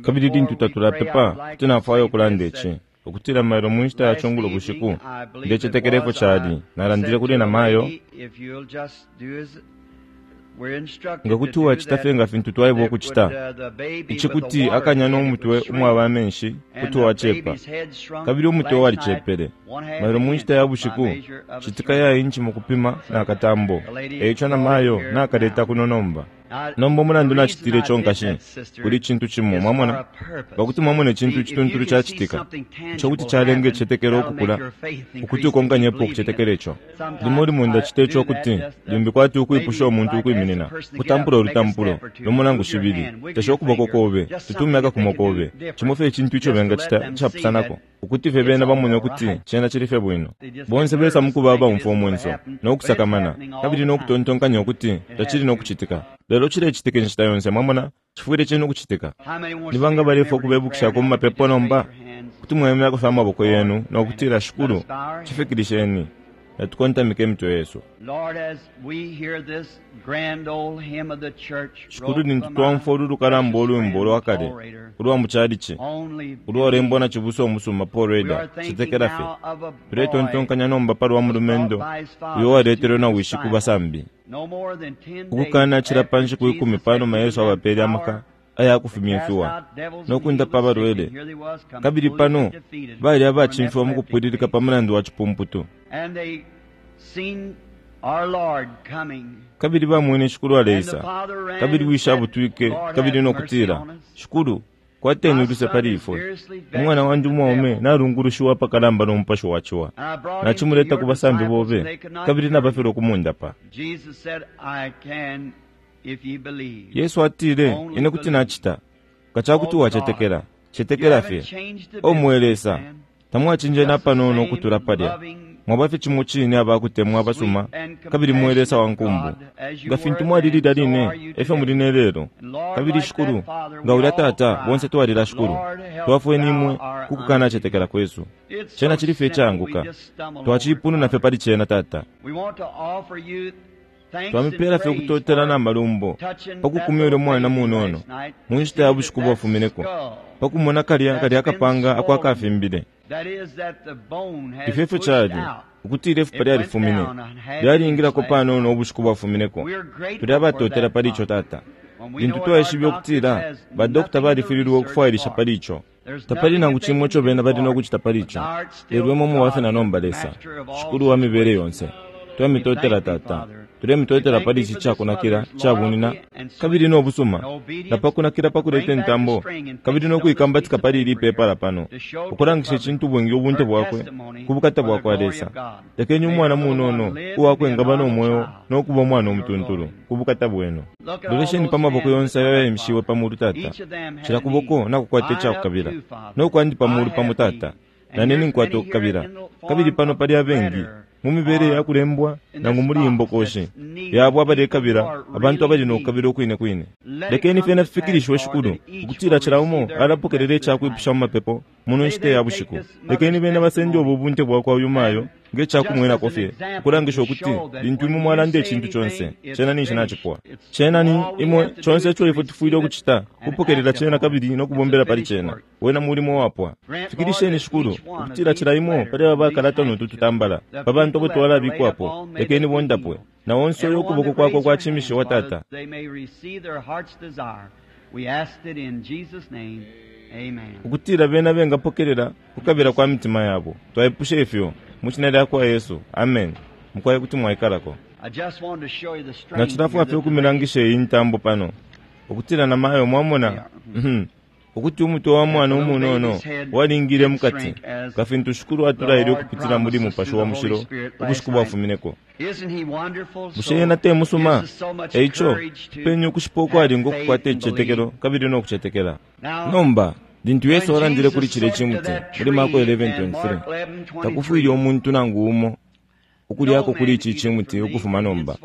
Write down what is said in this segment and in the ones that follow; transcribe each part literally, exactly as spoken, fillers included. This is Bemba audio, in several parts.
Kabili lintu tatulapepa, kuti nafwaya ukulanda ici ukutila mailo mu nshita ya cungulo bushiku ndecetekela ifyo cali nalandile kuli na mayo nga kuti wacita fye nga fintu twaebwa ukucita ici kuti akanya n'omutwe umwaba amenshi kuti wacepa kabili umutwe walicepele mailo mu nshita ya bushiku citika ya inchi mu kupima na katambo eico na mayo nakaleta kuno nomba nomba umulandu nacitile ico nkashi kuli cintu cimo mwamona pakuti mwamona icintu icituntulu cacitika ico kuti calenga icicetekelo ukukula ukuti ukonkanyepo ukucetekela ico limo limo ndacita ico kuti limbi kwati ukwipusha umuntu ukwiminina kutampula olutampulo lumo nangu shibili tesha ukuboko kobe tutume akakumo kobe cimo fye icintu ico bengacita icapusanako ukuti fye bena bamone ukuti cena cili fye bwino bonse besa mukuba abaumfwa umwenso nokusakamana kabili nokutontonkanya ukuti tacili nokucitika lelo cilecitika inshita yonse mwamona cifwile cili nokucitika ni banga balefwa ukubebukishako mu mapepo nomba kuti mwayemyako fye amaboko yenu nokutila shikulu cifikilisheni natukontamike emitwe yesu shikulu lintu twamfwa ulu lukalamba olwimbo olwakale ulwa muchalichi ulwalembwa na cibusa omusuma Paul Rader citekela fye tuletontonkanya nomba palwa mulumendo uyo waletelwe na wishi ku basambi ukukana cila pa nshiku ikumi panuma Yesu abapele amaka ayakufumya nokundapa abalwele kabili pano bali abacimfiwa mu kupwililika pa mulandu wa cipumputu kabili bamwene shikulu aleisa kabili wishi abutwike kabili nokutila shikulu kwateni uluse pali ifwe umwana wandi umwaume nalungulushiwa apakalamba n'omupashi wa ciwa nacimuleta ku basambi bobe kabili nabafilwa okumundapa Yesu atile ine kuti nacita nga cakuti wacetekela cetekela fye omwe Lesa tamwacinje napanono ukutula palya mwaba fye cimo cine abakutemwa abasuma kabili mwe Lesa wa nkumbu nga fintu mwali lilya line efyo muli ne lelo kabili shikulu nga ulya tata bonse twalila shikulu twafweni imwe kukukanacetekela kwesu cena cili fye icaanguka twaciipununa fye pali cena tata twamipela fye ukutotela na malumbo pakukumya ulya mwana munono mu nshita ya bushiku bwafumineko pakumona kalya kalya akapanga ako akafimbile ifyo efyo cali ukutila ifupa lyalifumine lyalingilako panono ubushiku bwafumineko tuli abatotela pali ico tata lintu twaishibe ukutila badokita balifililwe ukufwailisha pali ico tapali nangu cimo ico bena bali nokucita pali ico lelo imwe mubafe na nomba Lesa shikulu wa mibele yonse twamitotela tata tulemitotela pali ici cakunakila cabunina kabili nobusuma napakunakila pakuleta intambo kabili nokuikambatika pali ili ipepala pano ukulangisha icintu bwingi ubunte bwakwe ku bukata bwakwa Lesa lekeni umwana munono uwakwe engaba nomweo nokuba umwana omutuntulu ku bukata bwenu lolesheni pa maboko yonse ayo yayimishiwe pamulu tata cila kuboko nakukwata icakukabila nokwandi pamulu pamo tata nanene nkwata okukabila kabili pano pali abengi mu mibele yakulembwa nangu muli imbokoshi yabo abalekabila abantu abali nokukabila okwine kwine lekeni fyena fifikilishwe shikulu ukutila cila umo alapokelela icakwipusha mu mapepo muno nshita ya bushiku lekeni bena basende obu bunte bwakwa uyu mayo ngecakumwenako fye ukulangisha ukuti lintu imwe mwalanda icintu conse cena ninshi nacipwa cena ni imwe conse ico ifwe tufwile ukucita kupokelela cena kabili nokubombela pali cena wena mulimo wapwa fikilisheni shikulu ukutila cila imo pali aba bakalata notu tutambala pa bantu abo twalabikwapo lekeni bondapwe na onse uyo ukuboko kwakwe kwacimishiwa tata ukutila bena bengapokelela kukabila kwa mitima yabo twaipusha ifyo mu shina lyakwa Yesu amen mukwaye kuti mwaikalako nacilafwa fye ukumilangisha iyi ntambo pano ukutila na mayo mwamona ukuti umutwe wa mwana umunono walingile mukati nga fintu shikulu atulaile ukupitila muli mupashi wa mushilo ubushiku bwafumineko bushe yena te musuma eico penye ukushipa ukwalinga okukwata icicetekelo kabili nokucetekela nomba lintu Yesu alandile kuli cile cimuti muli Marko eleven twenty-three takufwile umuntu nangu umo ukulyako kuli ici cimuti ukufuma nomba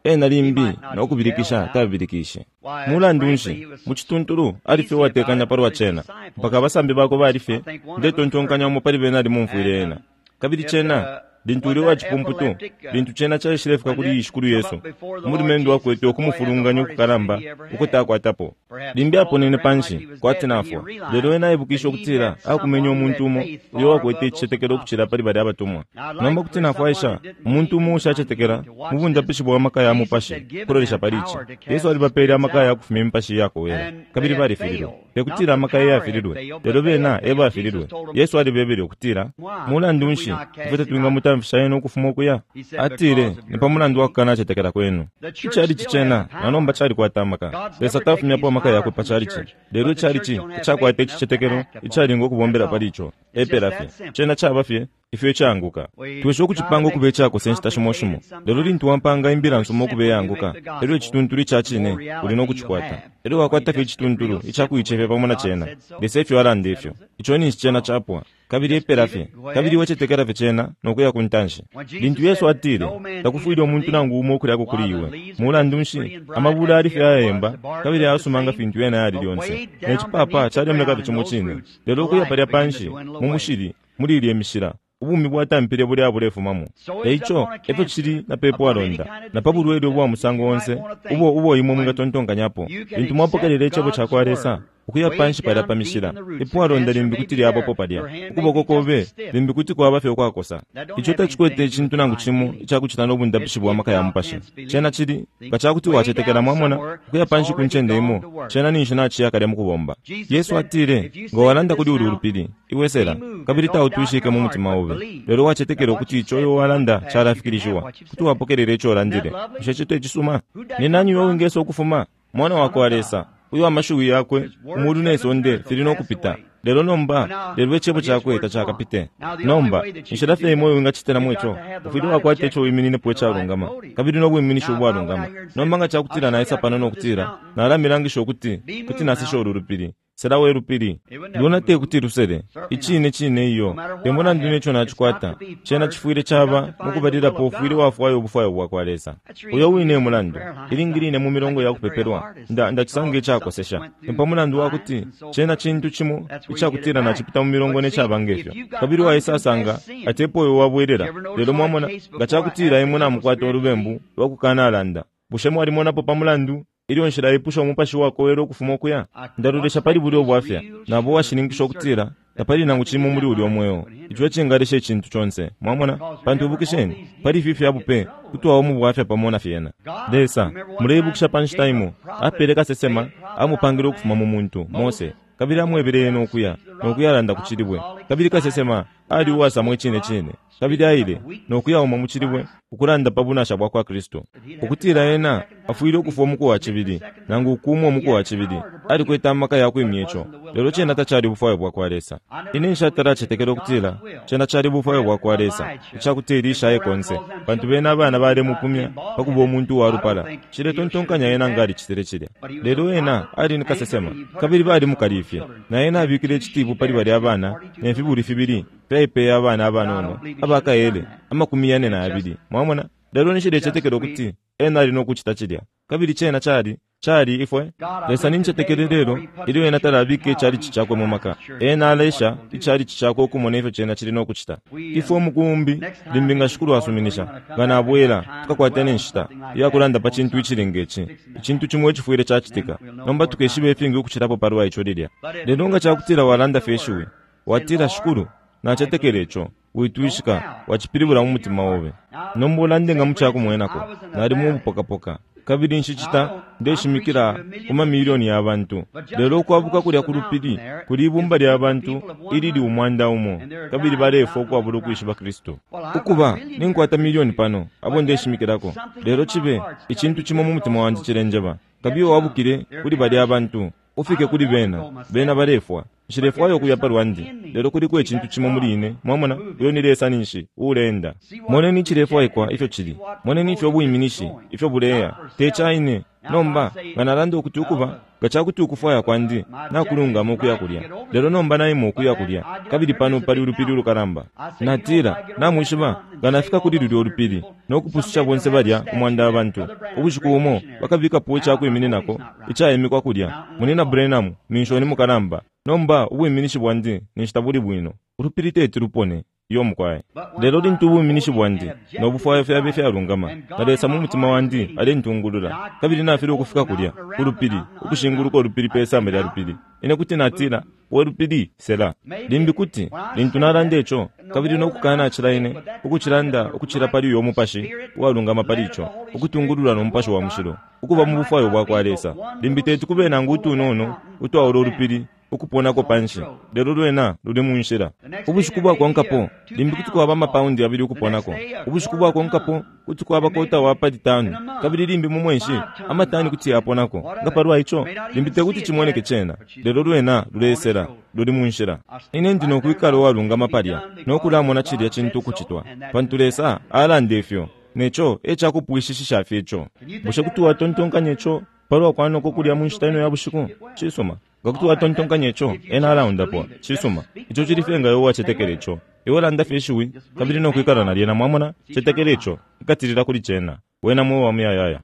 ena limbi nokubilikisha tabilikishe mulandu nshi mu cituntulu ali fye uwatekanya palwa cena mpaka abasambi bakwe bali fye ndetontonkanya umo pali bena alimumfwile ena kabili cena Lintu uli wacipumputu, lintu cena caishilefika kuli Shikulu Yesu, umulumendo wakwete ukumufulunganya ukukalamba ukutakwatapo. Limbi aponene panshi kwati nafwa, lelo ena aibukishe ukutila akumenya umuntu umo uyo wakwete icicetekelo ukucila pali balya abatumwa. Nomba kuti nafwaisha umuntu umo ushacetekela mu bundapishi bwa maka ya mupashi kulolesha pali ici. Yesu alibapele amaka ya kufumya imipashi iyakowela, kabili balifililwe. Tekutila amaka eyafililwe, lelo bena ebafililwe. Yesu alibebele ukutila, mulandu nshi ifwe tatwingamutamfisha ena ukufuma ukuya? Atile, ni pa mulandu wa kukanacetekela kwenu. Icalici cena na nomba calikwata amaka. Lesa tafumyapo amaka yakwe pa calici, lelo icalici icakwata icicetekelo icalinga ukubombela pali ico. Epela fye cena caba fye ifyo icaanguka. Twesha ukucipanga ukuba icakosa inshita shimo shimo, lelo lintu wampanga imbila nsuma ukuba iyaanguka, elyo icituntulu ica cine uli no kucikwata. Elyo wakwata fye icituntulu icakuicefya pamo na cena. Lesa efyo alanda ifyo, ico ninshi cena capwa. Kabili epela fye, kabili wecetekela fye cena nokuya ku ntanshi. Lintu Yesu atile, takufwile umuntu nangu umo ukulyako kuli iwe, mulandu nshi amabula ali fye ayayemba kabili ayasuma nga fintu yena yali lyonse, ne cipapa calemoneka fye cimo cine, lelo ukuya palya panshi mu mushili muli ilye mishila, ubumi bwatampile bulya bulefumamo. Eico efyo cili na pe pwalonda na pa bulwele ubwa musango onse ubo ubo imwe mwingatontonkanyapo. Lintu mwapokelela icebo ca kwa Lesa ukuya panshi palya pa mishila, ipwalonda limbi kuti lyabapo palya, ukuboko kobe limbi kuti kwaba fye ukwakosa. Ico tacikwete icintu nangu cimo icakucita no bundapishi bwa maka ya mupashi. Cena cili nga cakuti wacetekela, mwamona, ukuya panshi ku ncende imo, cena ninshi naciya kalya mu kubomba. Yesu atile, nga walanda kuli ulu lupili, iwe sela, kabili tautwishike mu mutima obe, lelo wacetekela ukuti ico iwe walanda calafikilishiwa, kuti wapokelela ico ulandile. Bushe ico tecisuma? Ni nani uyo wingesa ukufuma? Mwana wa kwa Lesa, uyo amashiwi yakwe umulu ne sonde fili no kupita, lelo nomba lelo icebo cakwe tacakapite. Nomba inshila fye imwe wingacitilamo ico, ufwile wakwata ico wimininepo icalungama kabili no bwiminishi ubwalungama. Nomba nga cakutila naisa pano nokutila nalamilangisha ukuti kuti nasesha ulu lupili, sela we lupili, luna tekuti lusele. Icine cine iyo, te mulandu neco nacikwata, cena cifwile caba mukubalilapo ufwile wafwaya ubufwayo bwa kwa Lesa. Uyo wine mulandu ilingi line mu milongo ya kupepelwa nda ndacisanga icakosesha, ni pa mulandu wa kuti cena cintu cimo icakutila nacipita mu milongo necaba ngefyo, kabili waisasanga atepo uyo wabwelela. Lelo mwamona, nga cakutila imwe namukwata ulubembu lwa kukanalanda, bushe mwalimonapo pa mulandu ilyo nshila ipusha umupashi wakowela ukufuma ukuya? Ndalolesha pali bulya ubwafya, nabo washininkisha ukutila tapali nangu cimo muli ulya mweo ico ecingalesha icintu conse. Mwamona, pantu ibukisheni, pali ifi fya bupe kuti waba mu bwafya pamo na fyena. Lesa, muleibukisha pa nshita imo apele kasesema amupangile ukufuma mu muntu Mose, kabili amwebele ena ukuya nokuyalanda ku cilibwe, kabili kasesema ali uwasamwa icine cine, kabili aile nokuyauma mu cilibwe ukulanda pa bunasha bwa kwa Kristu, ukutila ena afwile ukufwa umuku wa cibili nangu ukumwa umuku wa cibili. Alikwete amaka ya kwimya ico, lelo cena tacali ubufwayo bwa kwa Lesa. Ine nshatalacetekela ukutila cena cali ubufwayo bwa kwa Lesa icakuti Elisha aye konse, pantu bena abana balemupumya pa kuba umuntu uwalupala. Ciletontonkanya ena nga alicitile cilya, lelo ena ali ni kasesema kabili balimukalifye, na ena abikile icitipu pali balya abana ne fibuli fibili fyaipeye abana abanono abakaele amakumi yane na yabili. Mwamona, lelo nshilecetekela ukuti ena ali no kucita cilya, kabili cena cali cali ifwe. Lesa nincetekele lelo ilyo ena talabika icalici cakwe mu maka, ena alesha icalici cakwe ukumona ifyo cena cili no kucita. Ifwe umukumbi limbi nga Shikulu asuminisha, nga nabwela tukakwata ne nshita iyakulanda pa cintu icili ngeci, icintu cimo icifwile cacitika. Nomba tukeshiba ifingi ukucilapo palwa ico lilya. Lelo nga cakutila walanda fye ishiwi, watila, Shikulu, nacetekela ico, witwishika, wacipilibula mu mutima obe. Nomba ulande nga mucakumwenako, nali mu bupokapoka, kabili nshicita ndeshimikila ku mamiliyoni ya bantu, lelo ukwabuka kulya ku lupili kuli ibumba lya bantu ilili umwanda umo, kabili balefwa ukwabula ukwishiba Kristu. Ukuba ninkwata miliyoni pano abo ndeshimikilako, lelo cibe icintu cimo mu mutima wandi cilenjeba, kabili wabukile kuli balya bantu, ufike kuli bena, bena balefwa. Nshilefwayo ukuya palwandi, lelo kuliko icintu cimo muli ine. Mwamona, uyo ni Lesa ninshi uleenda. Moneni icilefwaikwa ifyo cili, moneni ifyo bwiminishi ifyo buleya, tecaine. Nomba nga nalanda ukuti ukuba nga cakuti ukufwaya kwandi nakulungama ukuya kulya, lelo nomba naima ukuya kulya, kabili pano pali ulupili ulukalamba. Natila, namwishiba, nga nafika kuli lulya ulupili nokupususha bonse balya umwanda wa bantu, ubushiku bumo bakabikapo icakwimininako icaimikwa kulya. Munina Branham minshoni mukalamba. Nomba ubwiminishi bwandi ninshi tabuli bwino, ulupili teti lupone. Iyo mukwai. Lelo lintu ubuminishi bwandi no bufwayo fyabe ifyalungama, na Lesa mu mutima wandi alentungulula, kabili nafilwa ukufika kulya ku lupili, ukushinguluka ulupili pe samba lya lupili, ine kuti natila, we lupili, sela. Limbi kuti lintu nalanda ico, kabili nokukana cila ine ukucilanda ukucila pali uyo mupashi uwalungama pali ico, ukutungulula no Mupashi wa Mushilo, ukuba mu bufwayo bwa kwa Lesa, limbi teti kube nangu utunono utwaula ulupili ukuponako panshi, lelo lwena luli mu nshila. Ubushiku bwakonkapo limbi kuti kwaba amapaundi abili ukuponako. Ubushiku bwakonkapo kuti kwaba kota wa pali tanu, kabili limbi mu mwenshi amatani kuti yaponako. Nga palwa ico, limbi tekuti cimoneke cena, lelo lwena lulesela, luli mu nshila. Ine ndi nokwikala uwalungama palya nokulamona cilya cintu ukucitwa, pantu Lesa alanda ifyo, neco e cakupwishishisha fye ico. Bushe kuti watontonkanya ico palwa kwanoko kulya mu nshita ino ya bushiku? Cisuma. Nga kuti watontonkanya ico, ena alaundapo. Cisuma. Ico cili fye nga iwe wacetekela ico. Iwe landa fye ishiwi, kabili nokwikala na lyena, mwamona, cetekela ico, ikatilila kuli cena. Wena mweo wa muyayaya.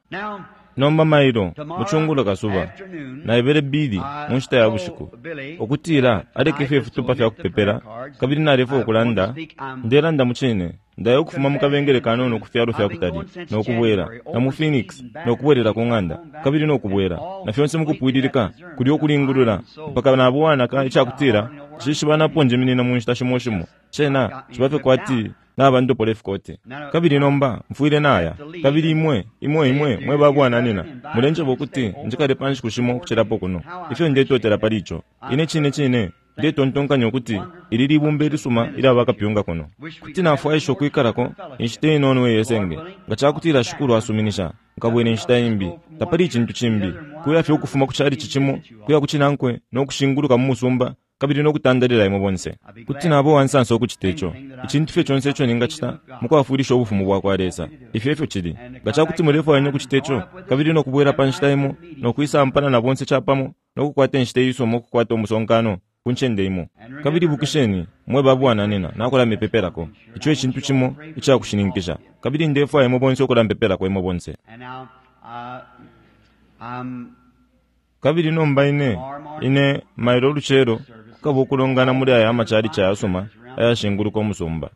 Nomba mailo, mucungulo kasuba, naebele Billy mu nshita ya bushiku ukutila aleke fye ifitupa fya kupepela, kabili nalefwa ukulanda, ndelanda mu cine, ndaya ukufuma mu kabengele kanono ku fyalo fya kutali, nokubwela, na mu Phoenix, nokubwelela ku ng'anda, kabili nokubwela, na fyonse mukupwililika, kulya ukulingulula, mpaka nabuwanaka icakutila, nshishibanapo njiminina mu nshita shimo shimo, cena ciba fye kwati nabandopola ifikote. Kabili nomba mfwile naya, kabili imwe, imwe, imwe mwe babwananina, mulenjeba ukuti njikale pa nshiku shimo ukucilapo kuno. Ifyo ndetotela pali ico. Ine cine cine ndetontonkanya ukuti ili libumba ilisuma ilya bakapyunga kuno. Kuti nafwaisha ukwikalako inshita inono iyesenge, nga cakutila Shikulu asuminisha, nkabwela inshita imbi. Tapali icintu cimbi, kuya fye ukufuma ku chalichi cimo kuya ku cinankwe no kushinguluka mu musumba, kabili nokutandalila imwe bonse. Kuti naba uwansansa ukucita ico. Icintu fye conse ico ningacita mukwafwilisha ubufumu bwa kwa Lesa, ifyo efyo cili. Nga cakuti mulefwaya ukucita ico, kabili nokubwela pa nshita imo, nokwisampana na bonse capamo, nokukwata inshita iisuma ukukwata umusonkano ku ncende imo. Kabili bukisheni mwe babwananina, nakulamipepelako. Ico ecintu cimo icakushininkisha, kabili ndefwaya imwe bonse ukulampepelako imwe bonse. Kabili nomba ine, ine mailo ulucelo kukaba ukulongana muli aya amachalichi ayasuma ayashinguluka umusumba.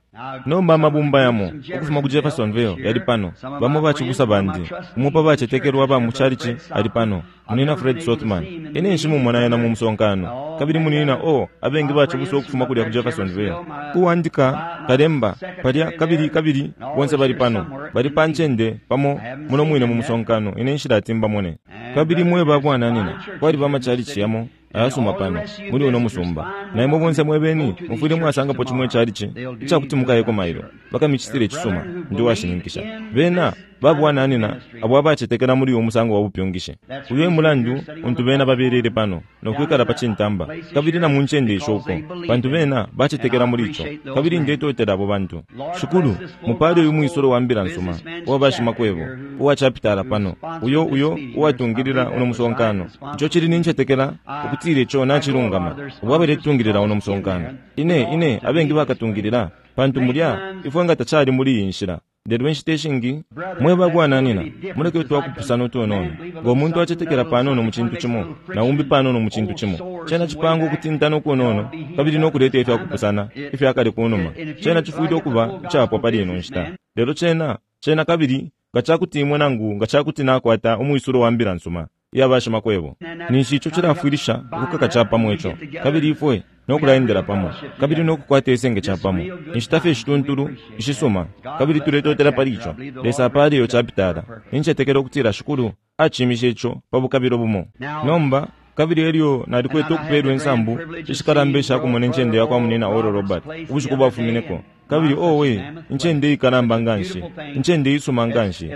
Nomba amabumba yamo ukufuma ku Jeffersonville yali pano, bamo bacibusa bandi, umo pa bacetekelwa ba mu chalichi ali pano, munina Fred Sothmann. Ine nshimumona ena mu musonkano, kabili munina o abengi bacibusa ukufuma kulya ku Jeffersonville. Uwandika kalemba palya, kabili kabili bonse bali pano, bali pa ncende pamo muno mwine mu musonkano. Ine nshilati mbamone. Kabili mwe babwananina, kwaliba amachalichi yamo ayasuma pano muli uno musumba, na imwe bonse mwebeni mufwile mwasangapo chimwe chalichi icakuti mukayeko mailo, bakamicitile icisuma. Ndi washininkisha bena babwananina abo abacetekela muli uyu musango wa bupyungishi. Uyo emulandu untu bena babelele pano nokwikala pa cintamba, kabili na mu ncende isho uko, pantu bena bacetekela muli ico, kabili ndetotela abo bantu. Shikulu, mupale uyu mwisolo wa mbila nsuma uwa bashimakwebo uwacapitala pano, uyo uyo uwatungilila uno musonkano. Ico cili nincetekela ukutila ico nacilungama, ubo abaletungilila uno musonkano. Ine ine abengi bakatungilila, pantu mulya ifwe nga tacali muli iyi nshila. Lelo inshita ishingi mwe babwananina muleke twakupusana utunono. Ngo muntu acetekela panono mu cintu cimo, na umbi panono mu cintu cimo, cena cipanga ukutintana ukunono, kabili nokuleta ifyakupusana ifyakale kunuma. Cena cifwile ukuba icapwa pali ino nshita. Lelo cena cena kabili nga cakuti imwe nangu nga cakuti nakwata umwisulo wa mbila nsuma iya bashimakwebo, ninshi ico cilafwilisha ukukaka capamo ico, kabili ifwe nokulaendela pamo, kabili nokukwata isenge capamo, inshita fye ishituntulu ishisuma, kabili tuletotela pali ico. Lesa apale iyo capitala. Nincetekela ukutila Shikulu acimishe ico pa bukabilo bumo. Nomba kabili elyo nalikwete ukupelwa insambu ishikalamba ishakumona incende yakwa munina Oral Robert ubushiku bwafumineko. Kabili owe, incende ikalamba nganshi, incende isuma nganshi,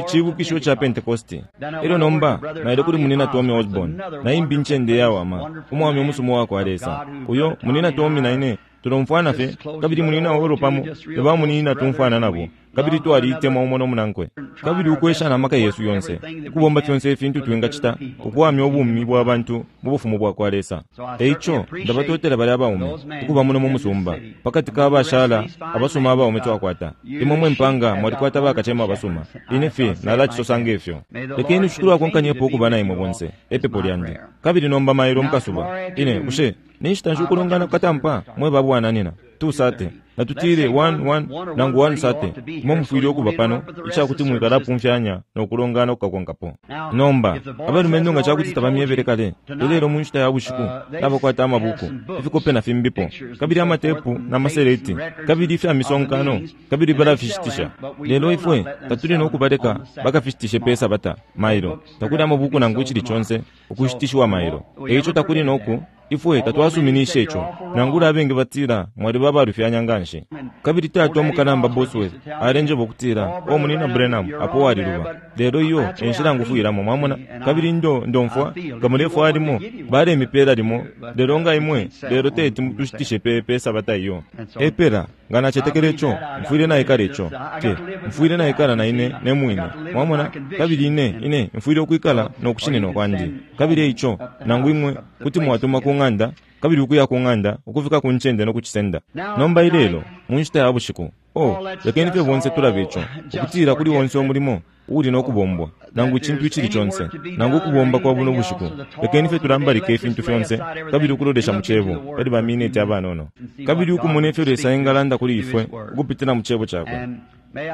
cibukisho ca Pentecosti. Elyo nomba naile kuli munina Tommy Osborn, na imbi incende yawama, umwami umusuma wakwa Lesa. Uyo munina Tommy na ine tulomfwana fye, kabili munina Oral pamo ne ba munina tumfwana nabo, kabili twaliitemwa umo no munankwe, kabili ukwesha na maka yesu yonse ukubomba fyonse ifintu twingacita ukuwamya ubumi bwa bantu mu bufumu bwa kwa Lesa. Eico ndabatotela bali abaume ukuba muno mu musumba pakati ka bashala abasuma abaume twakwata. Imwe mwe mpanga mwalikwata bakacema abasuma, ine fye nalacisosa ngefyo. Lekeni Shikulu akonkanyepo ukuba na imwe bonse, epepo lyandi. Kabili nomba mailo mukasuba ine bushe ninshita nshi ukulongana kukatampa mwe babwananina? two thirty. Natutile one one nangu one thirty. Imwe mufwile ukuba pano icakuti mwikalapumfyanya nokulongana kukakonkapo. Nomba abalumendo nga cakuti tabamyebele kale, ilelo mu nshita ya bushiku nabakwata amabuku, ifikope na fimbipo, kabili amatepu na maseleti, kabili ifya misonkano, kabili balafishitisha. Lelo ifwe tatuli nokubaleka bakafishitishe pe sabata mailo. Takuli amabuku nangu icili conse ukushitishiwa mailo. Eico takuli noku ifwe tatwasuminishe ico. Nangula abengi batila mwaliba abalufyanya nganshi. Kabili tata omukalamba Bosworth alenjeba ukutila o munina Branham apo waliluba. Lelo iyo enshila ngufwilamo, mwamona. Kabili ndo ndomfwa nga mulefwa limo balemipela limo, lelo nga imwe lelo teti tushitishe pe pe sabata iyo. Epela nga nacetekela ico, mfwile naikala ico te mfwile naikala na ine ne mwine, mwamona. Kabili ine ine mfwile ukwikala nokushinina kwandi. Kabili ico nangu imwe kuti mwatuma ku ng'anda, kabili ukuya ku ng'anda ukufika ku ncende nokucisenda. Nomba ilelo mu nshita ya bushiku, oh, lekeni fye bonse tulabe ico, ukutila kuli wonse umulimo uuli nokubombwa, nangu icintu icili conse, nangu ukubomba kwa buno bushiku, lekeni fye tulambalike ifintu fyonse, kabili ukulolesha mu cebo pali ba mineti abanono, kabili ukumona ifyo Lesa engalanda kuli ifwe ukupitila mu cebo cakwe.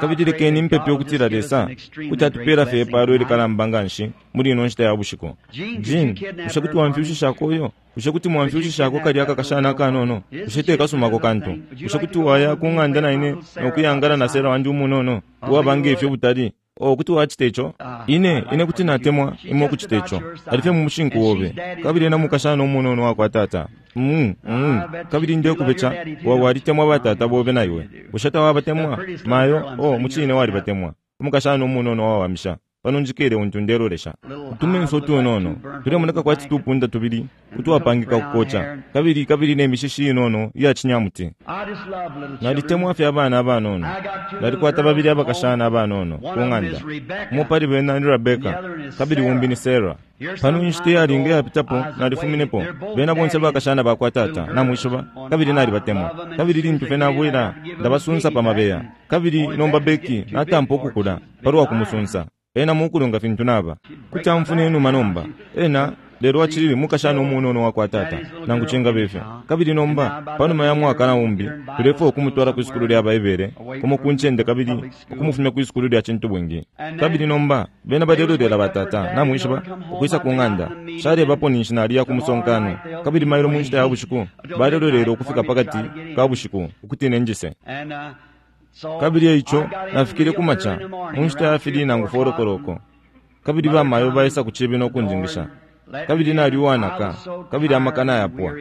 Kabili lekeni mpepe ukutila Lesa kuti atupela fye ipalo ilikalamba nganshi muli ino nshita ya bushiku. Jean, bushe kuti wamfyushishako uyo? Bushe kuti mwamfyushishako kalya akakashana akanono? Bushe tekasumako kantu? Bushe kuti waya ku ng'anda na ine nokuyangala na Sera wandi umunono uwaba ngefyo butali? Oh, kuti wacita ico? Ine, ine kuti natemwa imwe ukucita ico. Alifye mu mushinku obe. Kabili ena mukashana umunono wakwa tata. Mm, mm. Kabili ndekubeca, wa walitemwa batata bobe na iwe. Bushe tawabatemwa? Mayo, oh, mucine walibatemwa. Umukashana umunono wawamisha. Pano njikele untu ndelolesha. Utumenso utunono tulemoneka kwati tupunda tubili utwapangika kukoca, kabili kabili ne mishishi inono iya cinyamuti. Nalitemwa fye abana abanono. Nalikwata babili abakashana abanono ku ng'anda. Umo pali bena ni Rebecca, kabili umbi ni Sarah. Pano inshita iyalinga iyapitapo nalifuminepo. Bena bonse bakashana bakwa tata namwishiba, kabili nalibatemwa. Kabili lintu fye nabwela ndabasunsa pa mabeya. Kabili nomba Becky natampa ukukula palwa kumusunsa. Ena mukulunga fintu naba. Kuti amfuna enuma nomba. Ena lelo acilili mukashana umunono wakwa tata nangu cingabe ifyo. Kabili nomba panuma ya mwaka na umbi tulefwaya ukumutwala kwi sukulu lya Baibele kumo ku ncende, kabili ukumufumya kwi sukulu lya cintu bwingi. Kabili nomba bena balelolela batata namwishiba ukwisa ku ng'anda. Shalebapo ninshi naliya ku musonkano. Kabili mailo mu nshita ya bushiku balelolela ukufika pakati ka bushiku ukuti nenjise. Kabili eico nafikile kumaca mu nshita ya fili nangu four o'clock. Kabili bamayo baisa ku cibi nokunjingisha. Kabili nali uwanaka, kabili amaka nayapwa.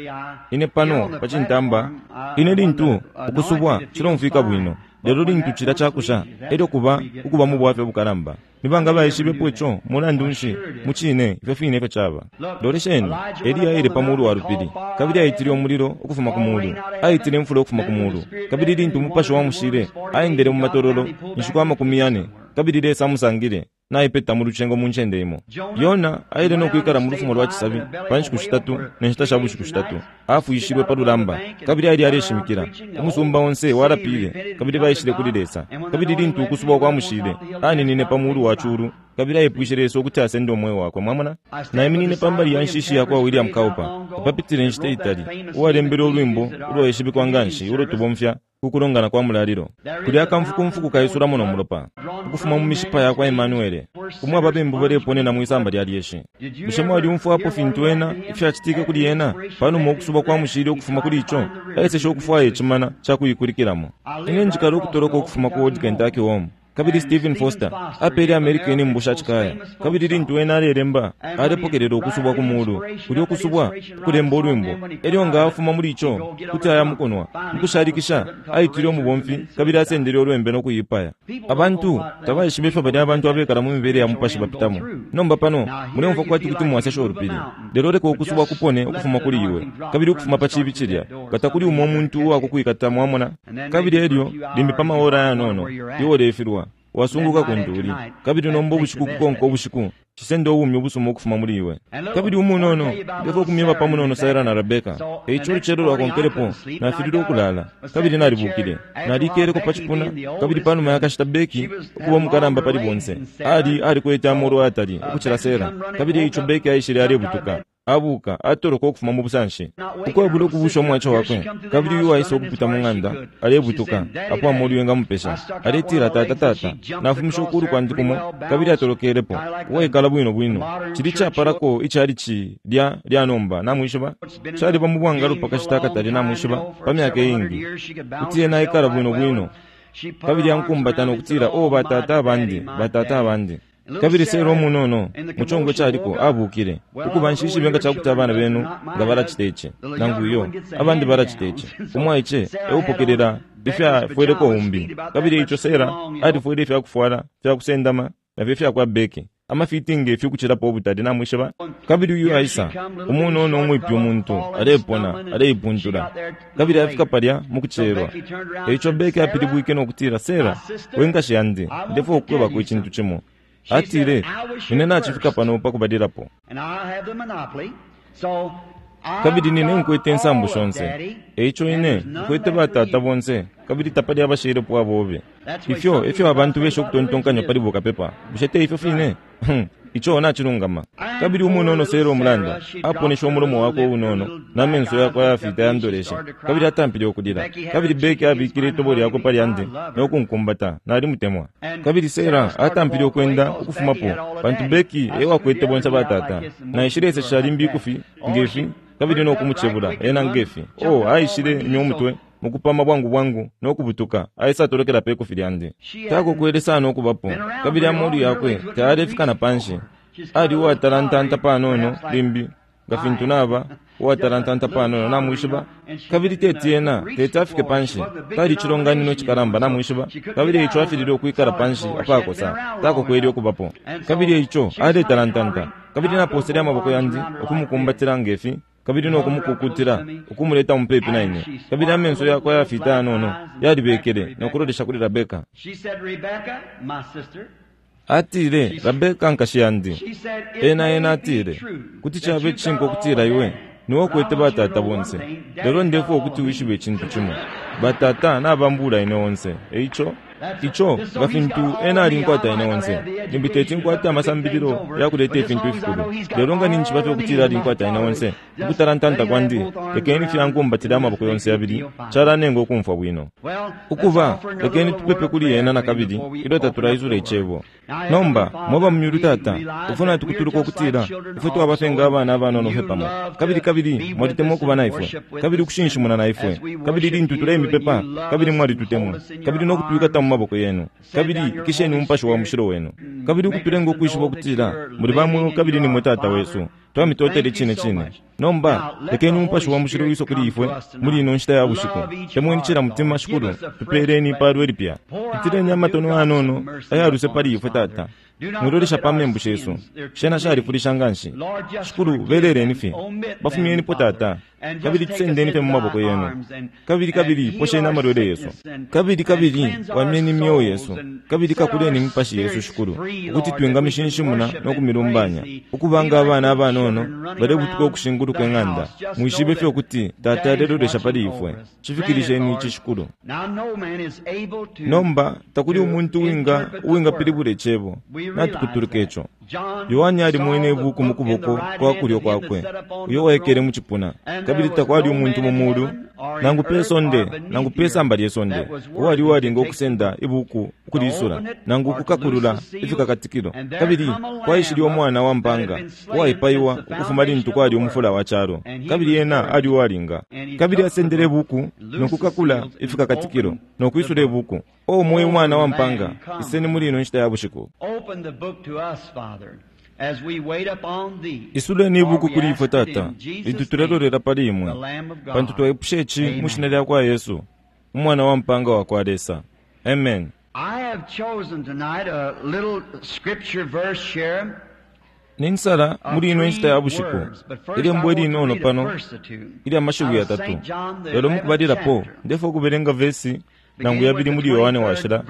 Ine pano pa cintamba, ine lintu ukusubwa cilomfwika bwino, lelo lintu cila cakusha elyo kuba ukuba mu bwafya bukalamba. Nibanga baishibepo ico mulandu nshi mucine ifyo fine ifyo caba. Lolesheni, Eliya aile pa mulu wa lupili, kabili aitile umulilo ukufuma ku mulu, aitile imfula ukufuma ku mulu. Kabili lintu umupashi wamushile aendele mu matololo inshiku amakumi yane, kabili Lesa amusangile naipeta mu lucengo mu ncende imo. Yona aile nokwikala mu lufumo lwa cisabi pa nshiku shitatu ne nshita sha bushiku shitatu. Afwishilwe pa lulamba, kabili ali aleshimikila. Umusumba onse walapile, kabili baishile kuli Lesa. Kabili lintu ukusubwa kwamushile, aninine pa mulu wa culu, kabili aipwishe Lesa ukuti asende umweo wakwe. Mwamona? Naiminine pambali ya nshishi yakwa William Cowper, apapitile inshita itali, uwalembele ulwimbo ulwaishibikwa nganshi ulo tubomfya kukulongana kwa mulalilo. Kulya akamfukumfuku kaisulamo no mulopa ukufuma mu mishipa yakwa Emmanuele, umwe ababembu baleponena mwisamba lya lyeshi. Bushe mwalyumfwapo fintu ena ifyacitike kuli ena panuma ukusubwa kwa mushili ukufuma kuli ico? Aeseshe ukufwaya icimana cakuikulikilamo. Ine njikala ukutoloka ukufuma ku Old Kentucky Home. Kabili Stephen Foster apele America inimbu sha cikaya. Kabili lintu ena alelemba alepokelela ukusubwa ku mulu, kulya ukusubwa ukulemba ulwimbo. Elyo nga afuma muli ico kuti aya mukunwa mukushalikisha aitile umubomfi, kabili asendele ulwembe nokuipaya. Abantu tabaishiba ifyo balya abantu abekala mu mibele ya mupashi bapitamo. Nomba pano muleumfwa kwati kuti mwasesha ulupili, lelo leka ukusubwa kupone ukufuma kuli iwe, kabili ukufuma pa cibi cilya nga takuli umo umuntu uwakukwikata, mwamona. Kabili elyo limbi pa maora ayanono iwe ulefilwa wasunguka kuntuli. Kabili nomba ubushiku kukonka ubushiku cisenda ubumi ubusuma ukufuma muli iwe. Kabili umunono ndefo kumyeba pa munono Sarah na Rebecca. Eico ulucelo lwakonkelepo nafilile ukulala, kabili nalibukile. Nalikeleko pa cipuna, kabili panuma yakashita Becky ukuba umukalamba pali bonse ali alikwete amolu ayatali ukucila Sarah. Kabili eico Becky aishile alebutuka, Abuka atoloka ukufuma mu busanshi ukwabula ukubusha umwacho wakwe. Kabili uyu aisa ukupita mu ng'anda alebutuka apo amolu yengamupesha, aletila, tata tata, nafumisha ukulu kwandi kumo. Kabili atolokelepo uwaikala bwino bwino. Cili capalako icalici lya lyanomba, namwishiba, caliba mu bwangalo pakashita akatali, namwishiba, pa myaka iingi, kuti ena aikala bwino bwino. Kabili ankumbata nokutila, o batata abandi, batata abandi. Kabili Sera umunono muchongo chaliko abukile ukuba nshishibe nga chakuti abana benu nga balacita ichi nangu iyo abandi balacita ichi. Umwaiche eupokelela ifyafweleko umbi. Kabili icho Sera alifwele ifyakufwala fyakusendama nafyo ifyakwa Beki, amafitingi ifyukuchilapo ubutali, namwishiba. Kabili uyu aisa umunono umwipi umuntu alepona aleipuntula, kabili afika palya mukucherwa. Eicho Beki apilibwike nokutila, Sera, wenkashi yandi, ndefo okukwebako ichintu chimo. Atile, nine nachifika pano pakubalilapo, kabili nine nkwete nsambu shonse. Eicho ine nkwete batata bonse, kabili tapali abashilepo abobe. Ifyo efyo abantu besha ukutontonkanya pali bukapepa. Bushe te ifyo fine? Icho nachilungama. Kabili umunono Sera omulanda aponesha umulomo wakwe unono namenso yakwe ayafita yandolesha, kabili atampile okulila. Kabili Beki abikile itobo lyakwe pali andi nokunkumbata, nalimutemwa. Kabili Sera atampile okwenda ukufumapo, pantu Beki ewakwete bonse batata. Naishilesesha limbi ikufi ngefi, kabili nokumuchebula ena ngefi. O aishile imya umutwe mukupama bwangu bwangu nokubutuka, aisa atolokela pe ikufi lyandi. Takokwele sana okubapo, kabili amolu yakwe tayalefika na panshi. Ali uwatalantanta panono limbi nga fintu naba uwatalantanta panono, namwishiba. Kabili teti ena teti afike panshi, tali chilonganino chikalamba, namwishiba. Kabili eicho afilile okwikala panshi apakosa, takokwele okubapo. Kabili eicho aletalantanta, kabili naposele amaboko yandi okumukumbatila ngefi, kabili nokumukukutila ukumuleta mupepi na ine. Kabili amenso yakwe ayafita yanono yalibekele nokulolesha kuli Rebeka. Atile, Rebeka nkashi yandi. Ena ena atile, kuti chabe chinko okutila iwe niwe okwete batata bonse, lelo ndefo okuti wishibe ichintu chimo. Batata nabambula ine onse. Eicho icho nga fintu ena alinkwata ine onse, limbi teti nkwate amasambililo yakuleta ifintu ifikulu, lelo nga ninchiba fye okutila alinkwata ine onse, ukutalantanta kwandi lekeni fyankumbatile amaboko yonse yabili, chalanenga okumfwa bwino. Ukuba lekeni tupepe kuli ena nakabili ilyo tatulaisula icebo. Nomba mwaba mumyulu tata, ufuna tukutuluka okutila ifwe twaba fye nga abana abanono fye pamo, kabili kabili mwalitemwa okuba naifwe, kabili ukushinshimuna naifwe, kabili lintu tulemipepa, kabili mwalitutemwa, kabili nokutwikata mu maboko yenu, kabili ikisheni umupashi wa mushilo wenu, kabili ukutulenga okwishiba okutila muli bamwe kabili nimwe tata wesu. Twamitotele chine chine. Nomba lekeni umupashi wa mushilo wiso kuli ifwe muli ino nshita ya bushiku. Temweni chila mutima shikulu, tupeleni ipalwe lipya. Itileni amatono anono ayaluse pali ifwe tata. Mwilolesha pa membu shesu, shena shalifulisha nganshi. Shikulu, beleleni fye, bafumyenipo tata, kabili tusendeni fye mu maboko yenu, kabili kabili posheni amalwele yesu, kabili kabili wamyeni imyoyo yesu, kabili kakuleni imipashi yesu shikulu, ukuti twingamishinshimuna nokumilumbanya, ukubanga abana abanono balebutuka okushinguluka eng'anda. Mwishibe fye ukuti tata alelolesha pali ifwe. Chifikilisheni ichi shikulu. Nomba takuli umuntu uwinga uwingapilibula icebo, natukutuluka icho. Yohane alimwene ibuku mu kuboko kwa kulyo kwakwe uyo waikele mu chipuna, kabili takwali umuntu mu mulu nangu pe sonde nangu pe samba lye sonde uwali uwalinga okusenda ibuku ukulisula nangu ukukakulula ifikakatikilo. Kabili kwaishile umwana wa mpanga uwaipaiwa ukufuma lintu kwali umufula wa chalo, kabili ena ali uwalinga. Kabili asendele ibuku nokukakula ifikakatikilo nokwisula ibuku. O mwe umwana wa mpanga, iseni muli ino nshita ya bushiku. Isuleni ibuku kuli ifwe tata, lintu tulelolera pali imwe, pantu twaipusha ichi mu shina lya kwa Yesu, umwana wa mpanga wa kwa Lesa. Amen. I have chosen tonight a little scripture verse here. Ninsala muli ino nshita ya bushiku ilembo ilinono pano ilya mashiwi yatatu, lelo mukubalilapo ndefo okubelenga vesi nangu yabili muli Yohane washila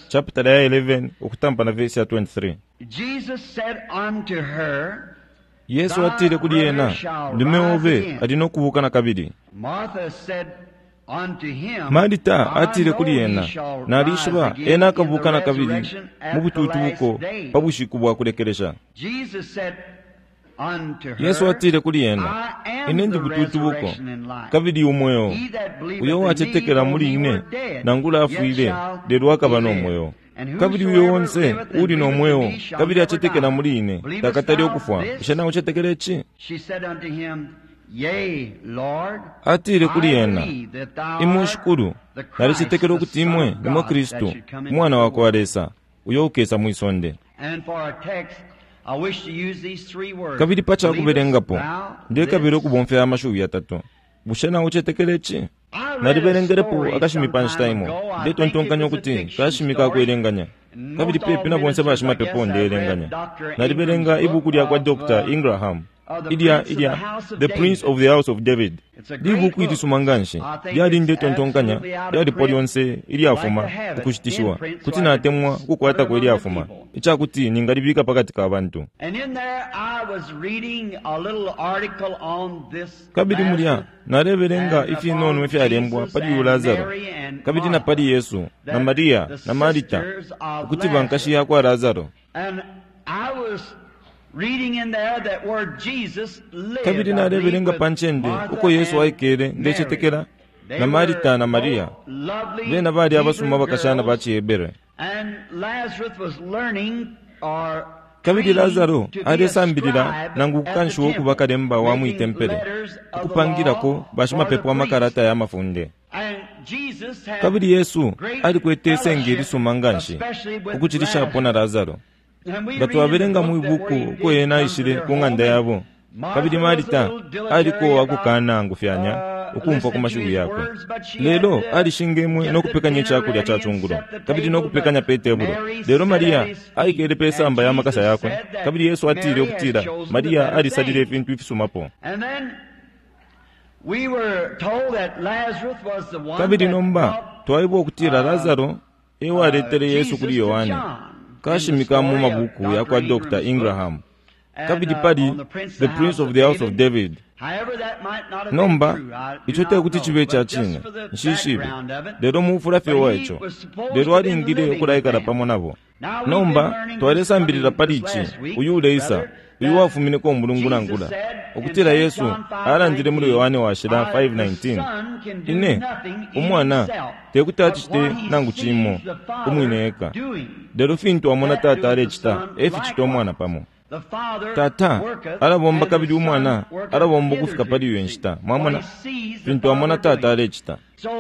chapter ya eleven okutampa na vesi ya twenty-three. Jesus said unto her, Yesu atile kuli ena, ndume obe ali nokubuka nakabili. Martha said unto him, Marita I atile know kuli he ena, shall nalishiba rise again ena in the akabuka nakabili resurrection mu at the bututubuko last day. pa bushiku bwa kulekelesha. Jesus said Yesu atile kuli ena, ine ndi bututubuko kabili umweo. Uyo uwacetekela muli ine, nangula afwile, lelo akaba no mweo. Kabili uyo onse uli no mweo kabili acetekela muli ine takatale ukufwa. Bushe naucetekela ici? Atile kuli ena, imwe Shikulu, nalicetekela ukuti imwe nimwe Kristu, umwana wa kwa Lesa, uyo ukesa mwi sonde. Kabili pa cakubelengapo, ndekabila ukubomfya amashiwi yatatu. Bushe naucetekela ici? Nalibelengelepo akashimi pa nshita imo, ndetontonkanya ukuti kashimi kakwelenganya, kabili pepi na bonse bashimapepo ndeelenganya. Nalibelenga ibuku lya kwa Doctor Ingraham ilya ilya The Prince of the House of David. Libuku ilisuma nganshi, lyali ndetontonkanya lyalipo lyonse ilyafuma ukushitishiwa. Kuti natemwa ukukwatako ilyafuma icakuti ningalibika pakati ka bantu. Kabili mulya nalebelenga ifinono ifyalembwa pali uyu Lazaro, kabili na pali Yesu na Maria na Marita, ukuti bankashi yakwa Lazaro. Kabili nalebelenga pa ncende uko Yesu aikele, ndecetekela na Marita na Maria, bena bali abasuma bakashana ba ciHebere. Kabili Lazaro alesambilila nangu kukanshiwa ukuba kalemba wa mwitempele, ukupangilako bashimapepo amakalata ya mafunde. Kabili Yesu alikwete isenge ilisuma nganshi, ukucilishapo na Lazaro. Nga twabelenga mwi buku uko ena aishile ku ng'anda yabo, kabili Marita aliko akukana angufyanya ukumfwa ku mashiwi yakwe, lelo alishingemwe no kupekanya icakulya ca cungulo kabili no kupekanya pe tebulo. Lelo Maria aikele pe samba ya makasa yakwe, kabili Yesu atile ukutila Maria alisalile ifintu ifisumapo. Kabili nomba twaebwa ukutila Lazaro ewaletele Yesu kuli Yohane, kashimika mu mabuku ya kwa Doctor Ingraham, kabili pali The Prince of the House of David. Nomba ico tekuti cibe ca cine, nshishibe, lelo mufula fye wa ico, lelo alingile ukulaikala pamo nabo. Nomba twalesambilila pali ici uyu uleisa, uyu wafumineko umulungu nangula, ukutila Yesu alandile muli Yohane washila five nineteen, ine umwana tekuti acite nangu cimo umwine eka, lelo fintu amona tata alecita eficita umwana pamo. Tata alabomba kabili umwana alabomba ukufika pali iyo nshita. Mwamona fintu amona tata alecita.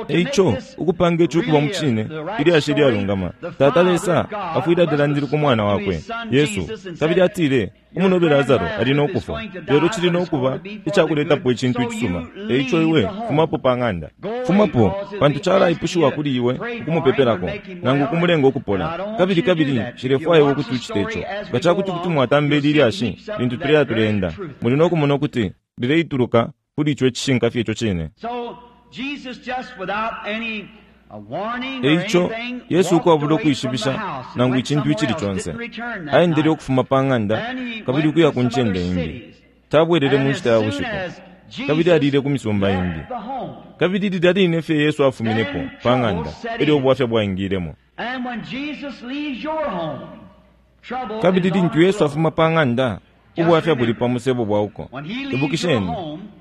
Eico ukupanga ici ukuba mu cine ilyashi ilyalungama, tata Lesa afwile alilandile ku mwana wakwe Yesu, kabili atile umunobe Lazaro ali no kufwa, lelo cili no kuba icakuletapo icintu icisuma. Eico iwe fumapo pa ng'anda, fumapo, pantu calaipushiwa kuli iwe ukumupepelako nangu kumulenga ukupola. Kabili kabili nshilefwaya iwe ukuti ucite ico. Nga cakuti kuti mwatamba ili lyashi lintu tuleya tuleenda, muli no kumona ukuti lileituluka kuli ico icishinka fye ico cine. Eico Yesu ukwabula ukwishibisha nangu icintu icili conse, aendele ukufuma pa ng'anda kabili ukuya ku ncende imbi. Tabwelele mu nshita ya bushiku, kabili alile ku misumba imbi. Kabili lilya line fye Yesu afuminepo pa ng'anda, elyo ubwafya bwaingilemo. Kabili lintu Yesu afuma pa ng'anda, ubwafya buli pa musebo bwa uko. Ibukisheni,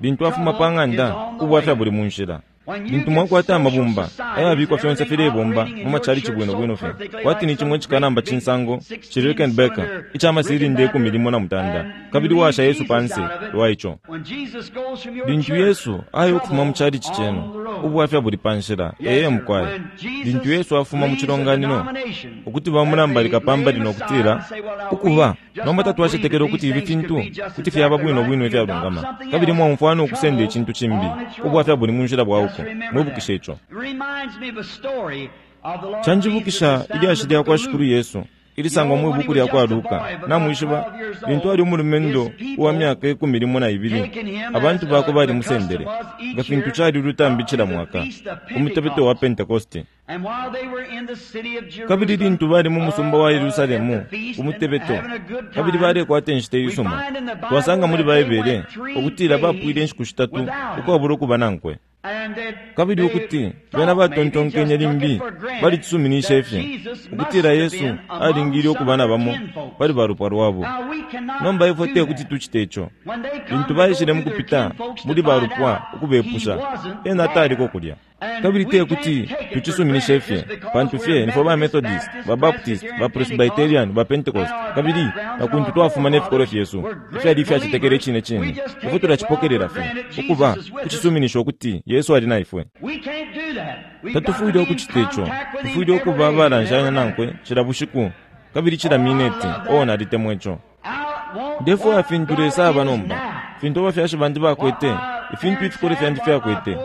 lintu afuma pa ng'anda, ubwafya buli mu nshila. Lintu mwakwata amabumba ayabikwa fyonse filebomba mu machalichi bwino bwino fye, kwati ni chimwe chikalamba cinsango ci Rickenbacker icamasilinda ikumi limo na mutanda, kabili washa Yesu panse lwa ico. Lintu Yesu aya ukufuma mu chalichi cenu, ubwafya buli pa nshila. Ee mukwai, lintu Yesu afuma mu cilonganino, ukuti bamulambalika pambali nokutila ukuba nomba tatwacetekela ukuti ifi fintu kuti fyaba bwino bwino ifyalungama, kabili mwaumfwana ukusenda icintu cimbi, ubwafya buli mu nshila bwa uko. Mwibukishe ico. Canjibukisha ilyashi lya kwa Shikulu Yesu ilisangwa mwi buku lya kwa Luka. Namwishiba, lintu ali umulumendo uwa myaka ikumi limo na ibili, abantu bakwe balimusendele nga fintu cali ulutambi cila mwaka umutebeto wa Pentekoste. Kabili lintu bali mu musumba wa Yerusalemu umutebeto, kabili balekwata inshita iisuma, twasanga muli Baibele ukutila bapwile inshiku shitatu ukwabula ukuba nankwe. Kabili ukuti bena batontonkenye limbi balicisuminishe fye ukutila Yesu alingile ukuba na bamo pali balupwa lwabo. Nomba ifwe te kuti tucite ico. Lintu baishile mukupita muli balupwa ukubepusha, ena taliko kulya. Kabili te kuti tucisuminishe fye, pantu fye nifwe ba Methodist, ba Baptist, ba Presbyterian, ba Pentecost, kabili na kuntu twafuma ne fikolo fyesu ifyali ifyacetekele icine cine, ifwe tulacipokelela fye ukuba kucisuminisha ukuti Yesu ali na ifwe. Tatufwile ukucita ico. Tufwile ukuba abalanshanya nankwe cila bushiku kabili cila mineti. Oh, nalitemwa ico. Ndefwaya fintu Lesa aba nomba, fintu abafyashi bandi bakwete, ifintu ifikolo fyandi fyakwete,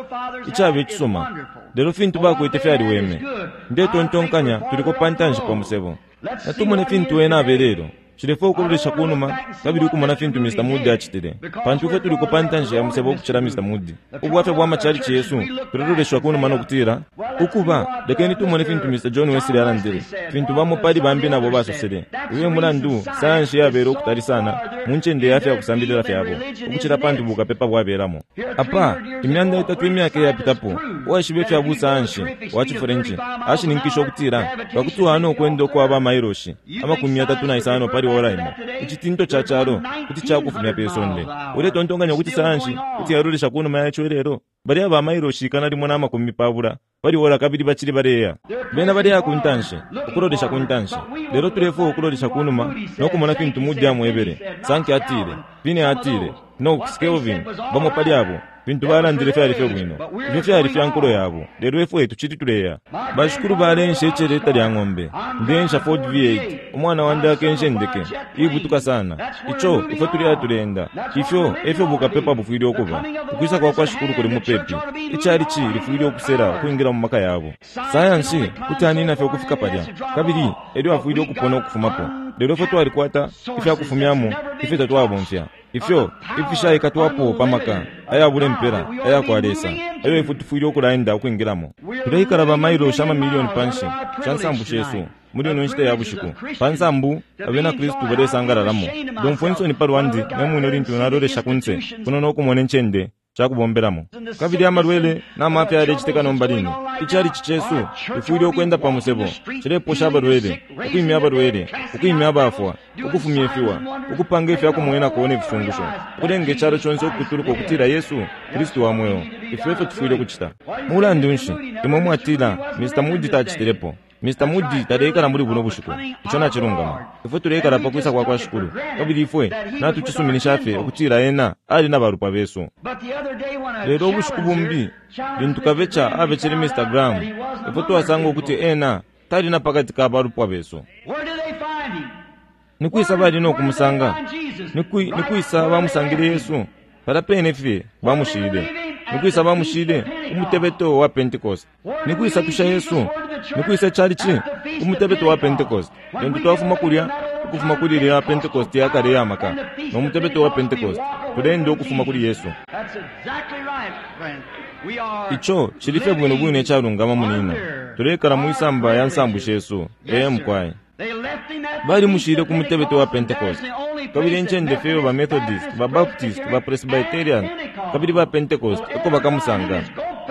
icaba icisuma, lelo fintu bakwete fyaliweme. Ndetontonkanya tuliko pantanshi pa musebo. Natumone fintu ena abelelo. Cilefwaya ukulolesha kunuma kabili ukumona fintu Mister Moody acitile, pantu ifwe tuliko pantanshi ya musebo ukucila Mister Moody. Ubwafya bwa machalichi yesu tuleloleshwa kunuma nokutila ukuba lekeni tumone fintu Mister John Wesley alandile, fintu bamo pali bambi nabo basosele. Uyo mulandu sayansi yabele ukutali sana mu ncende ya fya kusambilila fyabo ukucila pantu bukapepa bwabelamo. Apa imyanda itatu imyaka iyapitapo, uwaishiba ifya busayansi wa cifurenchi ashininkisha ukutila pakuti wano ukwenda ukwaba amailoshi amakumi yatatu na isano pali ora imo, icitinto ca calo kuti cakufumya pe sonde. Uletontonkanya ukuti sayansi kuti yalolesha kunuma yaco ilelo? Bali aba amailoshi ikana limo na makumi pabula pali ora kabili bacili baleya. Bena baleya ku ntanshi, ukulolesha ku ntanshi. Lelo tulefwaya ukulolesha kunuma nokumona fintu Moody amwebele. Sankey atile, Finney atile, Knox, Kelvin, bamo pali abo fintu balandile fyali fye bwino. Ifyo fyali fya nkulo yabo, lelo ifwe tucili tuleya. Bashikulu balensha iceleta lya ng'ombe, ndensha Ford V eight, umwana wandi akensha indeke ibutuka sana. Ico ifwe tuleya tuleenda. Ifyo efyo bukapepa bufwile ukuba. Ukwisa kwa kwa shikulu kuli mupepi. Icalici lifwile ukusela ukwingira mu maka yabo. Sayansi kuti anina fye ukufika palya, kabili elyo afwile ukupona ukufumapo. Lelo ifwe twalikwata ifyakufumyamo ifyo tatwabomfya, ifyo ifishaikatwapo pamaka ayabula impela ayakwa Lesa, ayo ifwe tufwile ukulaenda ukwingilamo. Tuleikala ba mailoshi amamiliyoni panshi sha nsambu shesu muli ino nshita ya bushiku. Pa nsambu abena Kristu balesangalalamo. Ndomfwa insoni pa lwandi ne mwine lintu nalolesha kunse kuno nokumona incende cakubombelamo. Kabili amalwele n'amafya yalecitika nomba line. Icalici cesu ifwile ukwenda pa musebo, cileposha abalwele, ukwimya abalwele, ukwimya abafwa, ukufumya ifiwa, ukupanga ifyakumwenako ne fifungusho, ukulenga icalo conse ukutuluka ukutila Yesu Kristu wa mweo. Ifyo efyo tufwile ukucita. Mulandu nshi imwe mwatila Mister Moody tacitilepo? Mister Moody taleikala muli buno bushiku. Ico nacilungama. Ifwe tuleikala pa kwisa kwa kwa shikulu, kabili ifwe natucisuminisha fye ukutila ena ali na balupwa besu. Lelo ubushiku bumbi lintu kabeca abecele Mister Graham, ifwe twasanga ukuti ena tali na pakati ka balupwa besu. Nikwisa bali nokumusanga? Nikwisa bamusangile Yesu? Pala pene fye bamushile. Nikwisa bamushile umutebeto wa Pentecost. Nikwisa tusha Yesu? Nikwisa chalichi umutebeto wa Pentecost. Lintu twafuma kulya ukufuma kuli lya Pentecost yakale ya maka no mutebeto wa Pentecost, tulenda ukufuma kuli Yesu. Ico cili fye bwino bwino icalungama munina. Tulekala mwisamba ya nsambu shesu. Ee mukwai. Balimushile ku mutebeto wa Pentecost. Kabili incende fye ba Methodist, ba Baptist, ba Presbyterian, kabili ba Pentecost eko bakamusanga.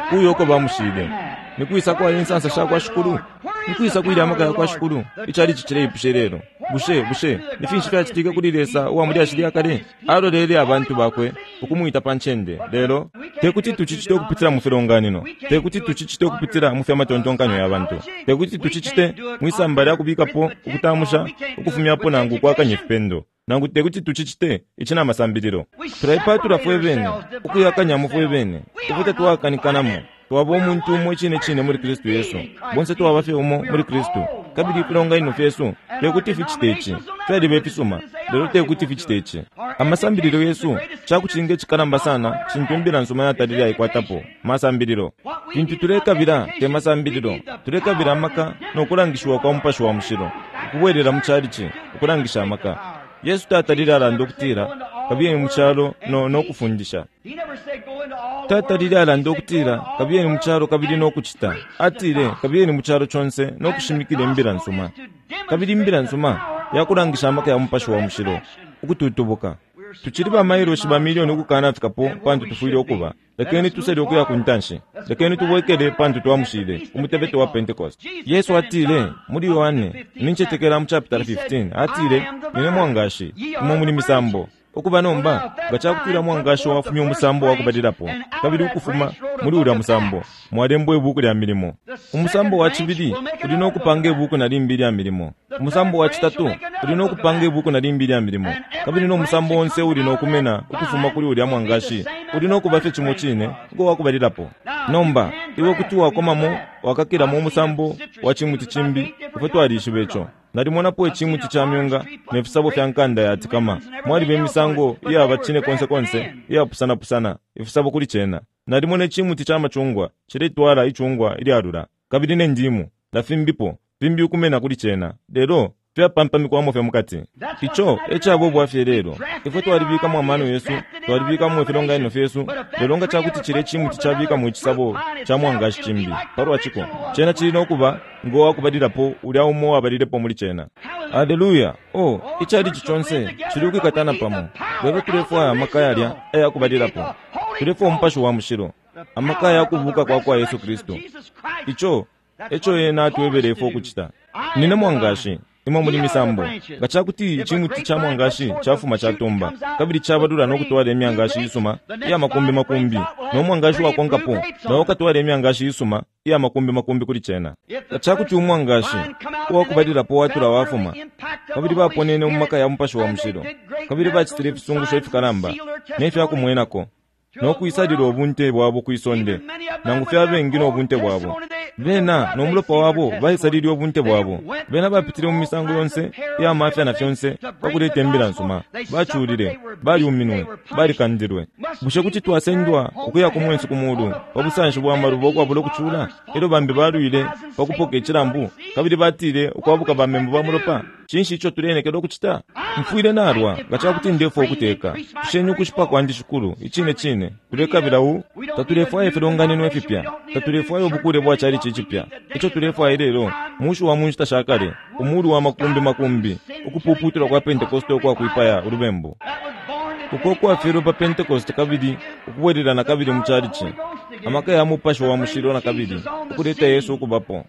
Kuyo uko bamushile. Nikwisa kwa insansa sha kwa shikulu? Nikwisa kwili amaka ya kwa shikulu? Icalici cileipushe lelo. Bushe, bushe, ni finshi fyacitika kuli Lesa uwa muli ashili akale? Alolele abantu bakwe ukumwita pa ncende. Lelo tekuti tucicite ukupitila mu filonganino, tekuti tucicite ukupitila mu fyamatontonkanyo ya bantu, tekuti tucicite mwisamba lya kubikapo ukutamusha ukufumyapo nangu kwakanya ifipendo, nangu tekuti tucicite ici na masambililo. Tulaipatula fwe bene, ukuyakanyamo fwe bene, ifwe tatwakanikanamo. Twaba umuntu umo icine cine muli Kristu Yesu. Bonse twaba fye umo muli Kristu. Kabili ifilonganino fyesu tekuti ficite ici. Fyaliba ifisuma, lelo tekuti ficite ici. Amasambililo yesu cakucinga icikalamba sana cintu imbila nsuma yatalile aikwatapo masambililo. Fintu tulekabila te masambililo, tulekabila amaka nokulangishiwa kwa Mupashi wa Mushilo, ukubwelela mu calici ukulangisha amaka. Yesu tatalile alanda ukutila kabiyeni mu calo no nokufundisha. Tatalile alanda ukutila kabiyeni mu calo kabili nokucita. Atile kabiyeni mu calo conse nokushimikila imbila nsuma. Kabili imbila nsuma yakulangisha amaka ya Mupashi wa Mushilo ukututubuka. Tucili ba mailoshi ba milioni ukukanafikapo pantu tufwile ukuba. Lekeni tusele ukuya ku ntanshi. Lekeni tubwekele pantu twamushile umutebeto wa Pentecost. Yesu atile muli Yohane, nincetekela mu chapter fifteen, atile, "Nine mwangashi, imwe muli misambo." Ukuba nomba, nga cakutila mwangashi wafumya umusambo wakubalilapo, kabili ukufuma muli ulya musambo mwalembwa ibuku lya milimo. Umusambo wa cibili uli no kupanga ibuku na limbi lya milimo. Umusambo wa citatu uli no kupanga ibuku na limbi lya milimo. Kabili no musambo onse uli no kumena ukufuma kuli ulya mwangashi uli no kuba fye cimo cine ngo wakubalilapo. Nomba iwe kuti wakomamo wakakilamo umusambo wa cimuti cimbi. Ifwe twalishiba ico. Nalimonapo icimuti ca myunga ne fisabo fya nkanda yatikama. Mwaliba imisango iyaba cine konse konse iyapusana-pusana ifisabo kuli cena. Nalimona icimuti ca macungwa ciletwala icungwa ilyalula, kabili ne ndimu na fimbipo fimbi ukumena kuli cena, lelo fyapampamikwamo fye mukati. Ico ecaba ubwafye lelo. Ifwe twalibikamo amano yesu, twalibikamo ifilonganino fyesu, lelo nga cakuti cile cimuti cabikamo icisabo ca mwangashi cimbi palwa ciko, cena cili nokuba ngo wakubalilapo ulya umo wabalilepo muli cena. Haleluya! Oh, icalici conse cili ukwikatana pamo, lelo tulefwaya amaka yalya ayakubalilapo. Tulefwaya umupashi wa mushilo, amaka ayakubuka kwa kwa Yesu Kristu. Ico eco ena atwebele ifwe ukucita. Nine mwangashi, imwe muli misambo. Nga cakuti icimuti ca mwangashi cafuma catumba, kabili cabalula no kutwala imyangashi isuma iya makumbi makumbi, no mwangashi wakonkapo nawo ukatwala imyangashi isuma iya makumbi makumbi kuli cena. Nga cakuti umwangashi uwakubalilapo watula wafuma, kabili baponene mu maka ya mupashi wa mushilo, kabili bacitile ifisungusho ifikalamba ne fyakumwenako, no kwisalila ubunte bwabo kwisonde, nangu fye abengi no bunte bwabo. Bena no mulopa wabo baisalile ubunte bwabo. Bena bapitile mu misango yonse iya mafya na fyonse pakuleta imbila nsuma. Baculile, baliuminwe, balikandilwe. Bushe kuti twasendwa ukuya ku mwensu ku mulu pa busanshi bwa maluba ukwabula ukucula? Elyo bambi balwile pakupoka icilambu, kabili batile ukwabuka bamembu ba mulopa. Cinshi ico tulenekela ukucita? Mfwile nalwa nga cakuti ndefwa ukuteka. Tusheni ukushipa kwandi shikulu, icine cine. Tulekabila u tatulefwaya ifilonganino ifipya, tatulefwaya ubukule bwa calici icipya. Ico tulefwaya lelo mushi wa mu nshita sha kale, umulu wa makumbi makumbi, ukupuputulwa kwa Pentekoste ukwa kwipaya ulubembu, uko kwafyelwe pa Pentekoste kabili ukubwelela na kabili mu calici, amaka ya mupashi wa mushilo na kabili ukuleta Yesu ukubapo.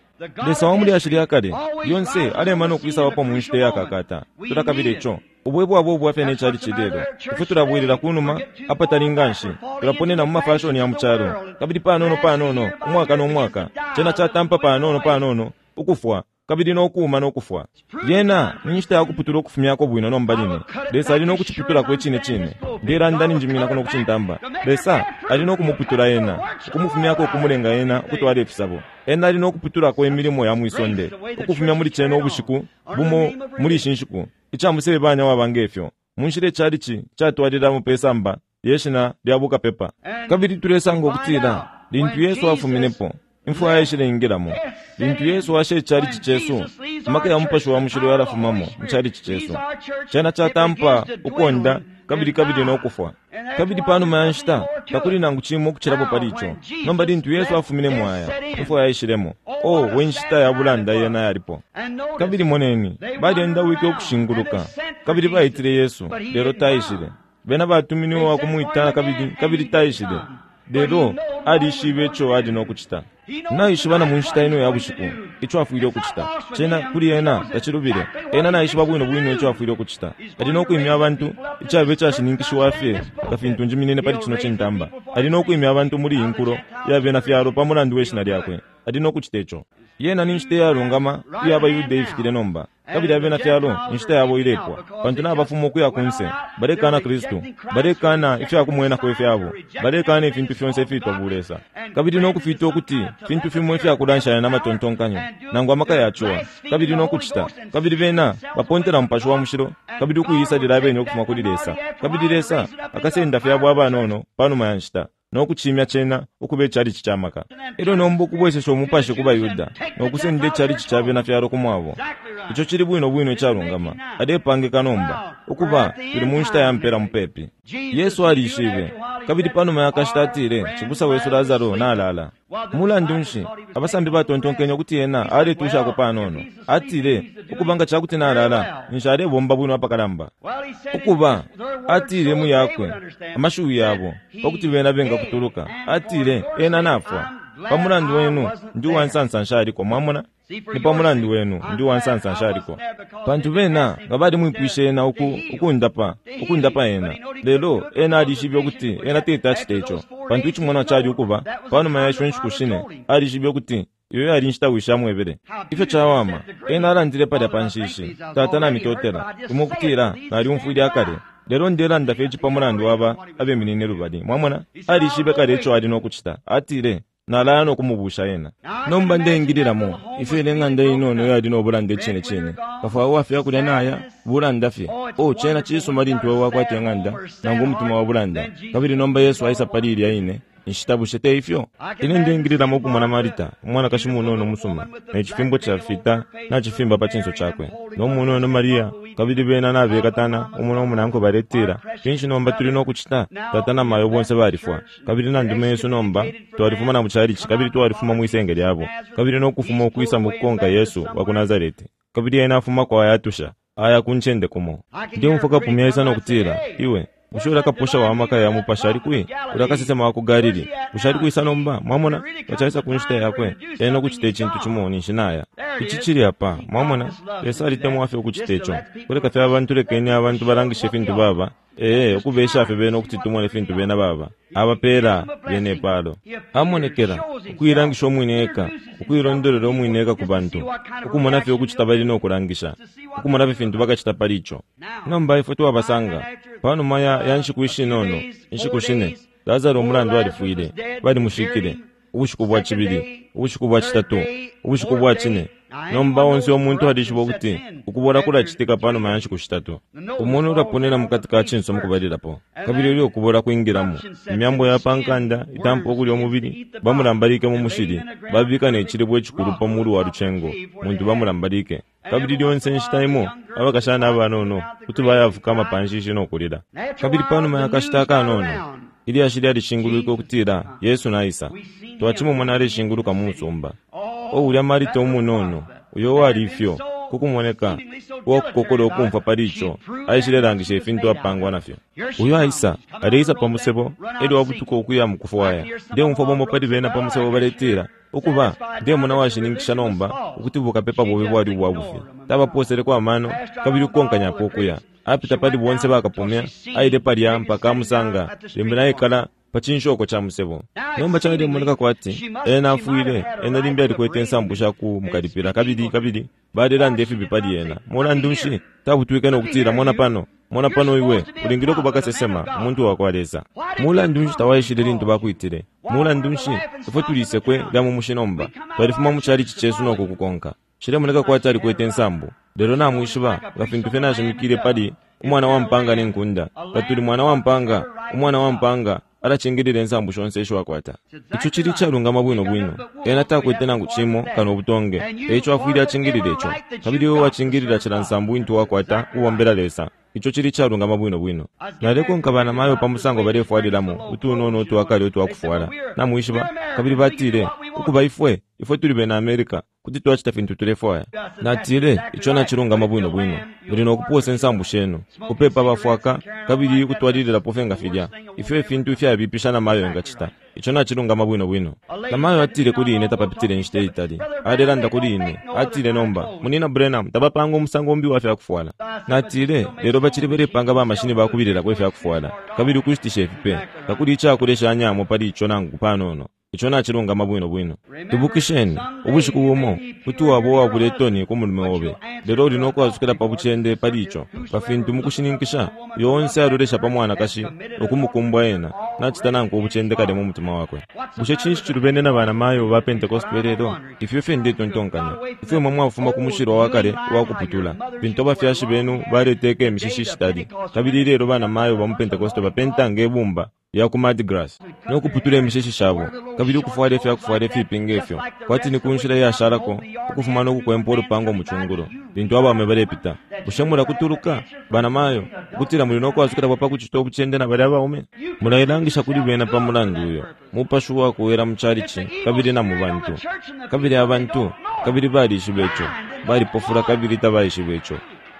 Lesa wa mulyashi lya kale lyonse alema no kwisabapo mu nshita yakakata. Tulakabila ico. Ubwe bwabo ubwafye ne calici lelo. Ifwe tulabwelela kunuma apatali nganshi, tulaponena mu mafashoni ya mu calo, kabili panono panono, umwaka no mwaka, cena catampa panono panono ukufwa, kabili no kuuma no kufwa. Lyena ni nshita ya kuputula ukufumyako bwino nomba line. Lesa ali no kuciputulako icine cine. Ndelanda ninjiminako no kucintamba. Lesa ali no kumuputula ena, ukumufumyako ukumulenga ena ukutwala ifisabo. Ena ali no kuputulako imilimo ya mwisonde, ukufumya muli cena ubushiku bumo muli ishi nshiku. Icamusebanya waba ngefyo. Munshila icalici catwalilamo pe samba lyeshina lya bukapepa. Kabili tulesanga ukutila lintu Yesu afuminepo, imfwa yaishile-ingilamo. Lintu Yesu ashe icalici cesu, amaka ya mupashi wa mushilo yalafumamo mu calici cesu. Cena catampa ukonda kabili kabili no kufwa. Kabili panuma ya nshita takuli nangu cimo ukucilapo pali ico. Nomba lintu Yesu afumine mwaya, imfwa yaishilemo. Oh, we nshita ya bulanda yena yalipo. Kabili moneni, balyendawike ukushinguluka, kabili baitile Yesu, lelo taishile. Bena batuminiwe wa kumwita kabili kabili taishile. Lelo alishibe ico ali no kucita. Naishiba na mu nshita ino ya bushiku ico afwile ukucita. Cena kuli ena tacilubile. Ena naishiba bwino bwino ico afwile ukucita. Ali no kwimya abantu, icaba icashininkishiwa fye nga fintu njiminine pali cino cintamba. Ali no kwimya abantu muli iyi nkulo ya bena fyalo pa mulandu we shina lyakwe. Ali no kucita ico. Yena ni nshita iyalungama iya abaYuda ifikile nomba, kabili abena fyalo inshita yabo ilepwa, pantu nabafuma ukuya kunse. Balekana Kristu, balekana ifyakumwenako ifyabo, balekana ifintu fyonse ifitwa bulesa, kabili no kufita ukuti fintu fimo ifyakulanshanya na matontonkanyo nangu amaka yacuwa, kabili no kucita. Kabili bena bapontela mupashi wa mushilo, kabili ukuisalila abene ukufuma kuli Lesa. Kabili Lesa akasenda fyabo abanono panuma ya nshita, no kucimya cena ukuba icalici ca maka. Elyo nomba ukubwesesha umupashi ku baYuda no kusenda icalici ca bena fyalo ku mwabo. Ico cili bwino bwino icalungama. Alepangika nomba ukuba tuli mu nshita ya mpela mupepi. Yesu alishibe, kabili panuma ya kashita atile, cibusa wesu Lazaro nalala, Mulandu nshi abasambi batontonkenye ukuti ena aletushako panono? Atile, ukuba nga cakuti nalala, ninshi alebomba bwino apakalamba. Ukuba, atile mu yakwe, amashiwi yabo, pakuti bena bengakutuluka. Atile, ena nafwa. Pa mulandu wenu, ndi uwansansa nshaliko, mwamona? Ni pa mulandu wenu, ndi uwansansa nshaliko. Pantu bena nga balimwipwishe ena uku, ukundapa, ukundapa ena. Lelo, ena alishibe ukuti ena teti acite ico. Pantu icimonwa cali ukuba, panuma ya isho nshiku shine, alishibe ukuti iyo yali nshita wishi amwebele. Ifyo cawama, ena alandile palya pa nshishi, Tata namitotela, imwe ukutila naliumfwile akale. Lelo ndelanda fye ici pa mulandu waba abeminine lubali. Mwamona? Alishibe kale ico ali nokucita. Atile, nalaya nokumubusha ena. Nomba ndeingililamo, ifyo ile ng'anda inono yali nobulanda icine cine. Kafwayo wafye akulya naya, bulanda fye. Oh, cena cisuma lintu wewe wakwata ing'anda, nangu umutima wa bulanda. Kabili nomba Yesu aisa pali ilya ine nshita, bushe te ifyo? Ine ndeingililamo ukumona Marita, umwanakashi munono umusuma, ne cifimbo cafita nacifimba pa cinso cakwe, no munono Maria, kabili bena nabekatana umo no munankwe baletila, finshi nomba tuli nokucita? Tata na mayo bonse balifwa, kabili na ndume yesu nomba twalifuma na mu chalichi, kabili twalifuma mwisenge lyabo, kabili nokufuma ukwisa mu kukonka Yesu wa ku Nazareti. Kabili ena afuma kwa ayatusha, aya ku ncende kumo. Ndemumfwa kapumya isa nokutila, iwe, bushe ulya kapusha wa maka ya mupasha ali kwi? Ulya kasesema wa ku Galili, bushe ali kwisa nomba? Mwamona, bacaisa ku nshita yakwe, ena okucita icintu cimo ninshi naya. Ici cili apa, mwamona, Lesa alitemwa fye ukucita ico. Kuleka fye abantu, lekeni abantu balangishe ifintu baba. Ee, ukubesha fye bena ukuti tumone ifintu bena baba. Abapeela bena ipalo. Amonekela, ukuilangisha umwine eka, ukuilondolola umwine eka ku bantu, ukumona fye ukucita bali nokulangisha, ukumona fye fintu bakacita pali ico. Nomba ifwe twabasanga, panuma ya, ya nshiku ishinono, inshiku shine, Lazaro umulandu alifwile, balimushikile, ubushiku bwa cibili, ubushiku bwa citatu, ubushiku bwa cine. Nomba onse umuntu alishiba ukuti ukubola kulacitika panuma ya nshiku shitatu. Umuntu ulaponena mukati ka cinso mukubalilapo, kabili ulyo ukubola kwingilamo. Imyambo ya pankanda itampa ukulya umubili, bamulambalike mu mushili, babika ne cilibwe icikulu pa mulu wa lucengo, muntu bamulambalike. Kabili lyonse nshita imo, abakashana abanono kuti bayafukama pa nshishi nokulila. Kabili panuma ya kashita akanono, ilyashi lyalishingulwike ukutila Yesu naisa. Twacimumona aleshinguluka mu musumba. O ulya Marita umunono, uyo wali ifyo, kukumoneka, uwakukokola ukumfwa pali ico, aishilelangisha ifintu apangwa nafyo. Uyo aisa, aleisa pa musebo, elyo wabutuka ukuya mu kufwaya. Ndeumfwa bomo pali bena pa musebo baletila, ukuba, ndemona washininkisha nomba ukuti bukapepa bobe bwali ubwa bufi. Tabaposeleko amano, kabili ukukonkanyapo ukuya. Apita pali bonse bakapumya, aile palya mpaka amusanga, limbi naikala pa cinshoko ca musebo. Nomba calemoneka kwati ena afwile, ena limbi alikwete insambu sha kumukalipila, kabili kabili balelanda ifibi pali ena. Mulandu nshi tabutwike nokutila, mona pano, mona pano iwe, ulingile ukuba kasesema, umuntu wa kwa Lesa. Mulandu nshi tawaishile lintu bakwitile? Mulandu nshi ifwe tulisekwe lya mu mushi nomba, twalifuma mu chalichi cesu nokukukonka. Cilemoneka kwati alikwete insambu. Lelo namwishiba, nga fintu fye nashimikile pali umwana wa mpanga ne nkunda, katuli mwana wa mpanga, umwana wa mpanga alacingilila insambu shonse isho akwata. Ico cili icalungama bwino bwino. Ena takwete nangu cimo kano ubutonge, eico afwile acingilile ico. Kabili iwe wacingilila cila nsambu intu wakwata ubombela Lesa. Ico cili icalungama bwino bwino. Nalekonka banamayo pa musango balefwalilamo utunono utwakale utwakufwala. Namwishiba, kabili batile, ukuba ifwe, ifwe tuli bena America, kuti twacita fintu tulefwaya. Natile, ico nacilungama bwino bwino. Muli nokuposa insambu shenu, kupepa bafwaka, kabili kutwalililapo fye nga filya. Ifyo ifintu ifyabipisha namayo engacita. Ico nacilungama bwino bwino. Namayo atile kuli ine tapapitile inshita itali. Alelanda kuli ine, atile nomba, Munina Branham, tabapanga umusango umbi wa fyakufwala. Natile, lelo bacili balepanga ba mashini bakubililako ifyakufwala, kabili ukushitisha ifipe, takuli icakulesha anyamo pali ico nangu panono. Ico nacilungama bwino bwino. Ibukisheni, ubushiku bumo, kuti waba uwabula itoni ku mulume obe, lelo uli nokwasukila pa bucende pali ico, pa fintu mukushininkisha, uyo onse alolesha pa mwanakashi nokumukumbwa ena, nacita nankwe ubucende kale mu mutima wakwe. Bushe cinshi cilubene na banamayo ba Pentecost belelo? Ifyo fye ndetontonkanya. Ifyo imwe mwafuma ku mushilwa wa kale uwakuputula, fintu abafyashi benu baleteka imishishi ishitali, kabili ilelo banamayo ba mu Pentecost bapenta nge bumba ya ku Mardi Gras, no kuputula imishishi shabo, kabili ukufwala ifyakufwala ifipi ngefyo, kwati ni ku nshila iyashalako, ukufuma no kukwempa ulupango mu cungulo, lintu abaume balepita. Bushe mulakutuluka, banamayo, ukutila muli no kwasukila pa kucita ubucende na balya abaume? Mulailangisha kuli bena pa mulandu uyo, mupashi uwakuwela mu chalichi, kabili na mu bantu. Kabili abantu, kabili balishiba ico, balipofula kabili tabaishiba ico.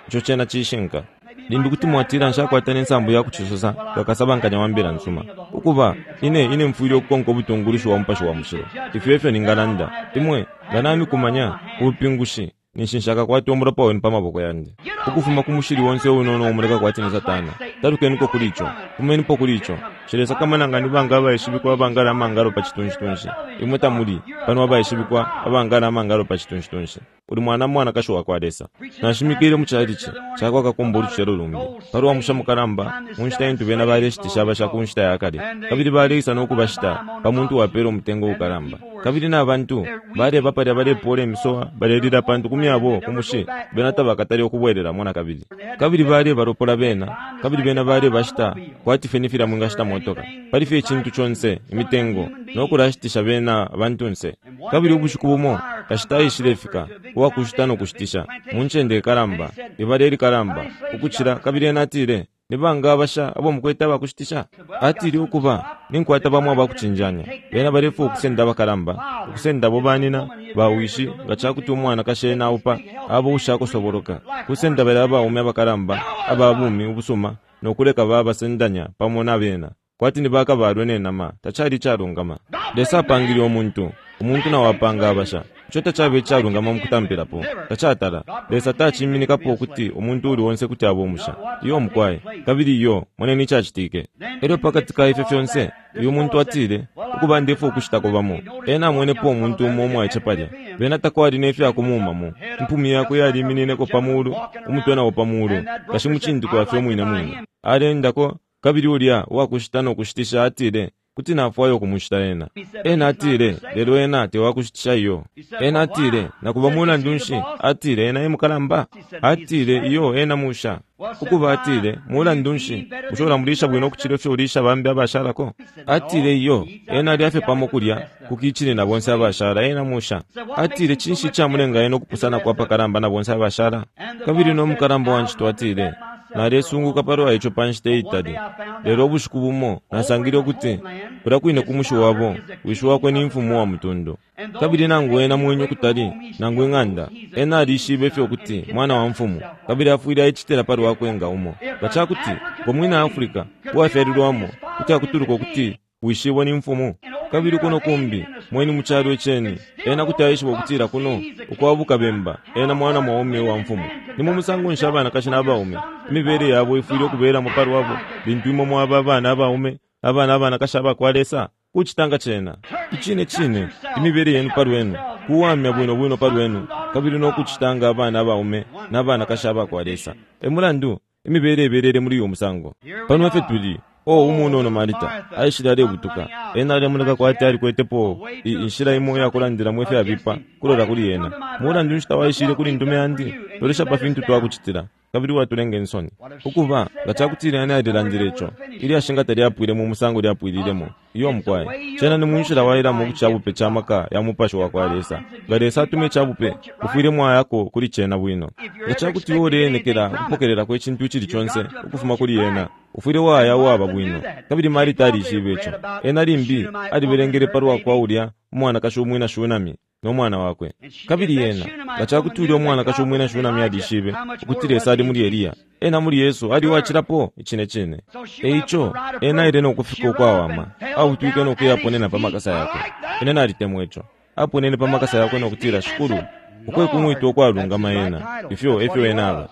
Ico cena cishinka. Limbi kuti mwatila nshakwata nensambu ya kucisosa kakasabankanya wa mbila nsuma. Ukuba, ine ine mfwile ukukonka ubutungulushi wa mupashi wa mushilo. Ifyo efyo ningalanda. Imwe, nga namikumanya, ubupingushi, ninshi nshakakwata umulopa wenu pa maboko yandi. Ukufuma ku mushili wonse unono umuleka kwati ni Satana. Talukeniko kuli ico. Fumenipo kuli ico. Nshilesakamana nga ni banga abaishibikwa abangala amangalo pa citunshi-tunshi. Imwe tamuli, pano abaishibikwa abangala amangalo pa citunshi-tunshi. Uli mwana mwanakashi wa kwa Lesa. Nashimikile mu chalichi cakwa kakumba ulucelo lumbi. Palwa musha mukalamba, mu nshita intu bena baleshitisha abasha ku nshita ya kale. Kabili baleisa no kubashita pa muntu wapela umutengo ukalamba. Kabili na bantu baleba palya balepola imisowa, balelila pantu ku myabo ku mushi bena tabakatale ukubwelelamo na kabili. Kabili balebalopola bena, kabili bena balebashita kwati fye ni filya mwingashita motoka. Pali fye icintu conse, imitengo, no kulashitisha bena abantunse. Kabili ubushiku bumo, kashita aishilefika, uwakushita no kushitisha, mu ncende ikalamba, ibala ilikalamba, ukucila, kabili ena atile, ni banga abasha abo mukwete abakushitisha? Atile ukuba, ninkwata bamo abakucinjanya. Bena balefwaya ukusenda abakalamba, ukusenda abo banina, bawishi, nga cakuti umwanakashi ena aupa, abo ushakusoboloka, kusenda balya abaume abakalamba, aba bumi ubusuma, no kuleka babasendanya pamo na bena. Kwati ni bakabalwe ne nama, tacali icalungama. Lesa apangile umuntu, umuntu nawo apanga abasha. Ico tacabe icalungama mu kutampilapo, tacatala. Lesa taciminikapo ukuti umuntu uli onse kuti abe umusha. Iyo mukwai, kabili iyo, moneni icacitike. Elyo pakati ka ifyo fyonse, uyu muntu atile, ukuba ndefwaya ukushitako bamo. Ena amwenepo umuntu umo umwaice palya. Bena takwali ne fyakumumamo. Impumi yakwe yaliminineko pa mulu, umutwe nawo pa mulu, kashi mucindikwa fye umwine mwine. Alendako, kabili ulya uwakushita no kushitisha atile, kuti nafwaya ukumushita ena. Ena atile, lelo ena tewakushitisha iyo. Ena atile, nakuba mulandu nshi? Atile, ena e mukalamba. Atile, iyo ena musha. Ukuba atile, mulandu nshi? Bushe ulamulisha bwino ukucila ifyo ulisha bambi abashalako? Atile, iyo, ena alya fye pamo kulya, kukichini na bonse abashala, ena musha. Atile, cinshi icamulenga ena ukupusana kwa pakalamba na bonse abashala? Kabili no mukalamba wa ncito atile, nalesunguka palwa ico pa nshita iitali. Lelo ubushiku bumo nasangile ukuti kulya kwine ku mushi wabo, wishi wakwe ni mfumu wa mutundu. Kabili nangu ena mwenye ukutali, nangu ing'anda, ena alishibe fye ukuti mwana wa mfumu, kabili afwile aicitila palwakwe nga umo. Nga cakuti ngo mwina Afrika uwafyalilwamo kuti akutuluka ukuti wishibo ni mfumu. Kabili kuno kumbi, mweni mu calo iceni, ena kuti aishiba ukutila kuno, ukwabuka bemba, ena mwana mwaume wa mfumu. Ni mu musango nshi abanakashi n'abaume, imibele yabo ifwile ukubelamo palwabo, lintu imwe mwaba abana abaume, abana abanakashi abakwa Lesa, kucita nga cena. Icine cine, imibele yenu palwenu, kuwamya bwino bwino palwenu, kabili no kucita nga abana abaume n'abanakashi abakwa Lesa. E mulandu, imibele ibelele muli uyu musango. Pano fye tuli, o umunono Marita, aishile alebutuka. Ena alemoneka kwati alikwetepo inshila imo iyakulandilamo ifyabipa kulola kuli ena. Mulandu nshi tawaishile kuli ndume yandi? Lolesha pa fintu twakucitila, kabili watulenga insoni. Ukuba, nga cakutila ena alilandile ico, ilyashi nga talyapwile mu musango lyapwililemo. Iyo mukwai, cena ni mu nshila wailamo ku cabupe ca maka ya mupashi wa kwa Lesa. Nga Lesa atume icabupe, ufwile mwayako kuli cena bwino. Nga cakuti iwe uleenekela ukupokelelako icintu icili conse ukufuma kuli ena, ufwile waya uwaba bwino. Kabili Marita alishibe ico. Ena limbi alibelengele palwa kwa ulya umwanakashi umwina Shunami no mwana wakwe. Kabili ena, nga cakuti ulya umwanakashi umwina Shunami alishibe ukuti Lesa ali muli Eliya, ena muli Yesu ali uwacilapo icine cine. Eico, ena aile no kufika ukwawama, abutwike no kuyaponena pa makasa yakwe. Ine nalitemwa ico. Aponene pa makasa yakwe no kutila, Shikulu, ukwe kumwita ukwalungama ena. Ifyo efyo ena aba.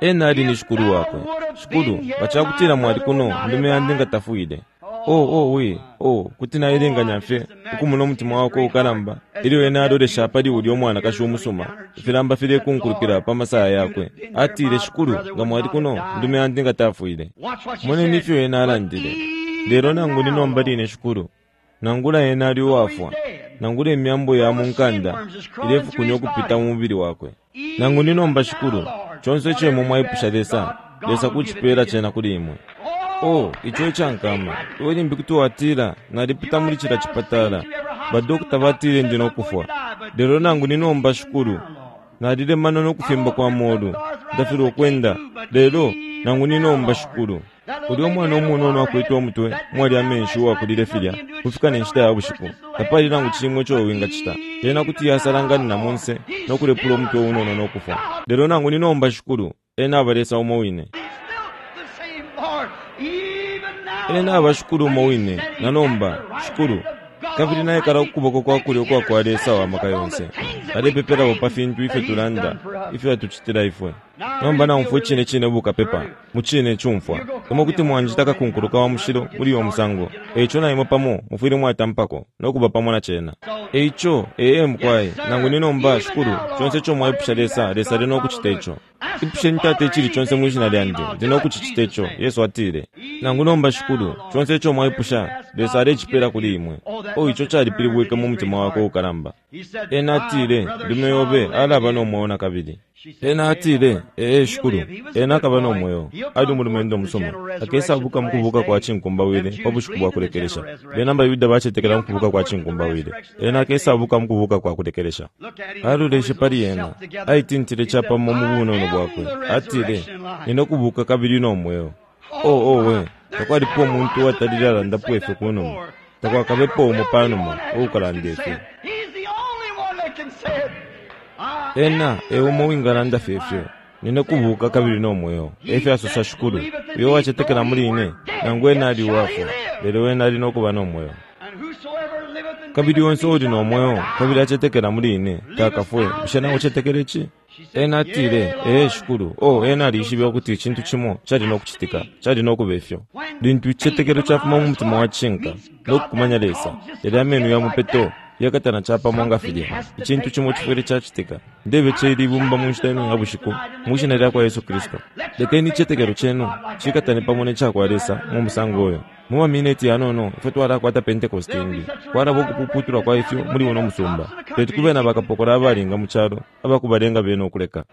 Ena ali ni Shikulu wakwe. Shikulu, nga cakutila mwali kuno, ndume yandi nga tafwile. Oh, oh, we, oh, kuti nailenganya fye ukumona umutima wakwe ukalamba ilyo ena alolesha pali ulya umwanakashi umusuma, ifilamba filekunkulukila pa masaya yakwe. Atile, Shikulu, nga mwali kuno, ndume yandi nga tafwile. Moneni ifyo ena alandile. Lelo nangu ni nomba line Shikulu, nangula ena ali uwafwa, nangula imyambo ya mu nkanda ilefukunya ukupita mu mubili wakwe. Nangu ni nomba Shikulu, conse ico imwe mwaipusha Lesa, Lesa kucipela cena kuli imwe. Oh, ico ecankama. Iwe limbi kuti watila, nalipita muli cila chipatala. Badokota batile ndi nokufwa. Lelo nangu ninomba Shikulu. Nalilemana nokufimba kwa molu. Ndafilwa ukwenda. Lelo nangu ninomba Shikulu. Ulya umwana umunono akwete umutwe mwali amenshi uwakulile filya kufika ne nshita ya bushiku. Tapali nangu cimwe ico wingacita. Ena kuti yasalanganina monse nokulepula umutwe unono nokufwa. Lelo nangu ninomba Shikulu, ena aba Lesa umo wine. Ena aba Shikulu umo wine, na nomba, Shikulu. Kabili naikala kukuboko kwa kulyo kwa kwa Lesa wa maka yonse. Alepepelapo pa fintu ifyo tulanda, ifyo atucitila ifwe. Nomba naumfwa icine cine bukapepa, mu cine cumfwa. Imwe kuti mwanjita kakunkuluka wa mushilo muli uyo musango. Eico na imwe pamo mufwile mwatampako no kuba pamo na cena. Eico, ee mukwai, nangu ni nomba Shikulu, conse ico mwaipusha Lesa, Lesa ali no kucita ico. Ipusheni Tata icili conse mwi shina lyandi, ndi no kucicita ico, Yesu atile. Nangu nomba Shikulu, conse ico mwaipusha, Lesa alecipela kuli imwe. Oh, ico calipilibwike mu mutima wakwe ukalamba. Ena atile, ndume yobe alaba no mweo nakabili. Ena atile, ee Shikulu, ena akaba no mweo, ali umulumendo musuma. Akesabuka mukubuka kwa cinkumbawile pa bushiku bwa kulekelesha. Bena abaYuda bacetekela mukubuka kwa cinkumbawile. Ena akesabuka mukubuka kwa kulekelesha. Aloleshe pali ena, aitintile capamo mu bunono bwakwe. Atile, nina kubuka kabili no mweo. Oh, oh we, takwalipo umuntu uwatalile alandapo ifyo kunuma. Takwakabepo umo panuma uukalanda ifyo. Ena e umo wingalanda fye ifyo. Nina kubuka kabili no mweo. Efyo asosa Shikulu, uyo wacetekela muli ine, nangu ena ali uwafwa, lelo ena ali no kuba no mweo. Kabili onse uli no mweo, kabili acetekela muli ine, takafwe. Bushe nawe ucetekela ici? Ena atile, ee Shikulu. Oh, ena alishibe ukuti icintu cimo cali no kucitika, cali no kuba ifyo. Lintu icicetekelo cafuma mu mutima wa cishinka no kukumanya Lesa, yalya ameno ya mupeto yakatana capamo nga filya. Icintu cimo cifwile cacitika. Ndebe celi ibumba mu nshita ino ya bushiku, mu shina lya kwa Yesu Kristu. Lekeni icicetekelo cenu cikatane pamo ne cakwa Lesa mu musango uyo. Mu mamineti yanono ifwe twalakwata Pentecost imbi. Kwalaba ukupuputulwa kwa ifyo muli uno musumba. Teti kube na bakapokola abalinga mu calo abakubalenga bena ukuleka.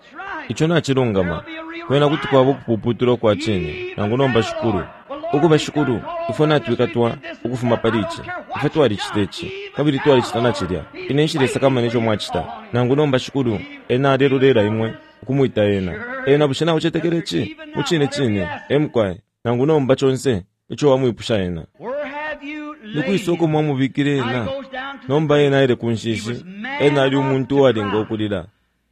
Ico nacilungama. Kwena kuti kwaba ukupuputulwa kwa cine, nangu nomba Shikulu. Ukuba Shikulu, ifwe natwikatwa ukufuma pali ici. Ifwe twalicita ici, kabili twalicita na cilya. Ine nshilesakamana ico mwacita. Nangu nomba Shikulu, ena alelolela imwe ukumwita ena. Ena bushe naucetekela ici? Mu cine cine, e mukwai. Nangu nomba conse ico wamwipusha ena. Nikwisa uko mwamubikile ena? Nomba ena aile ku nshishi, ena ali umuntu uwalinga ukulila.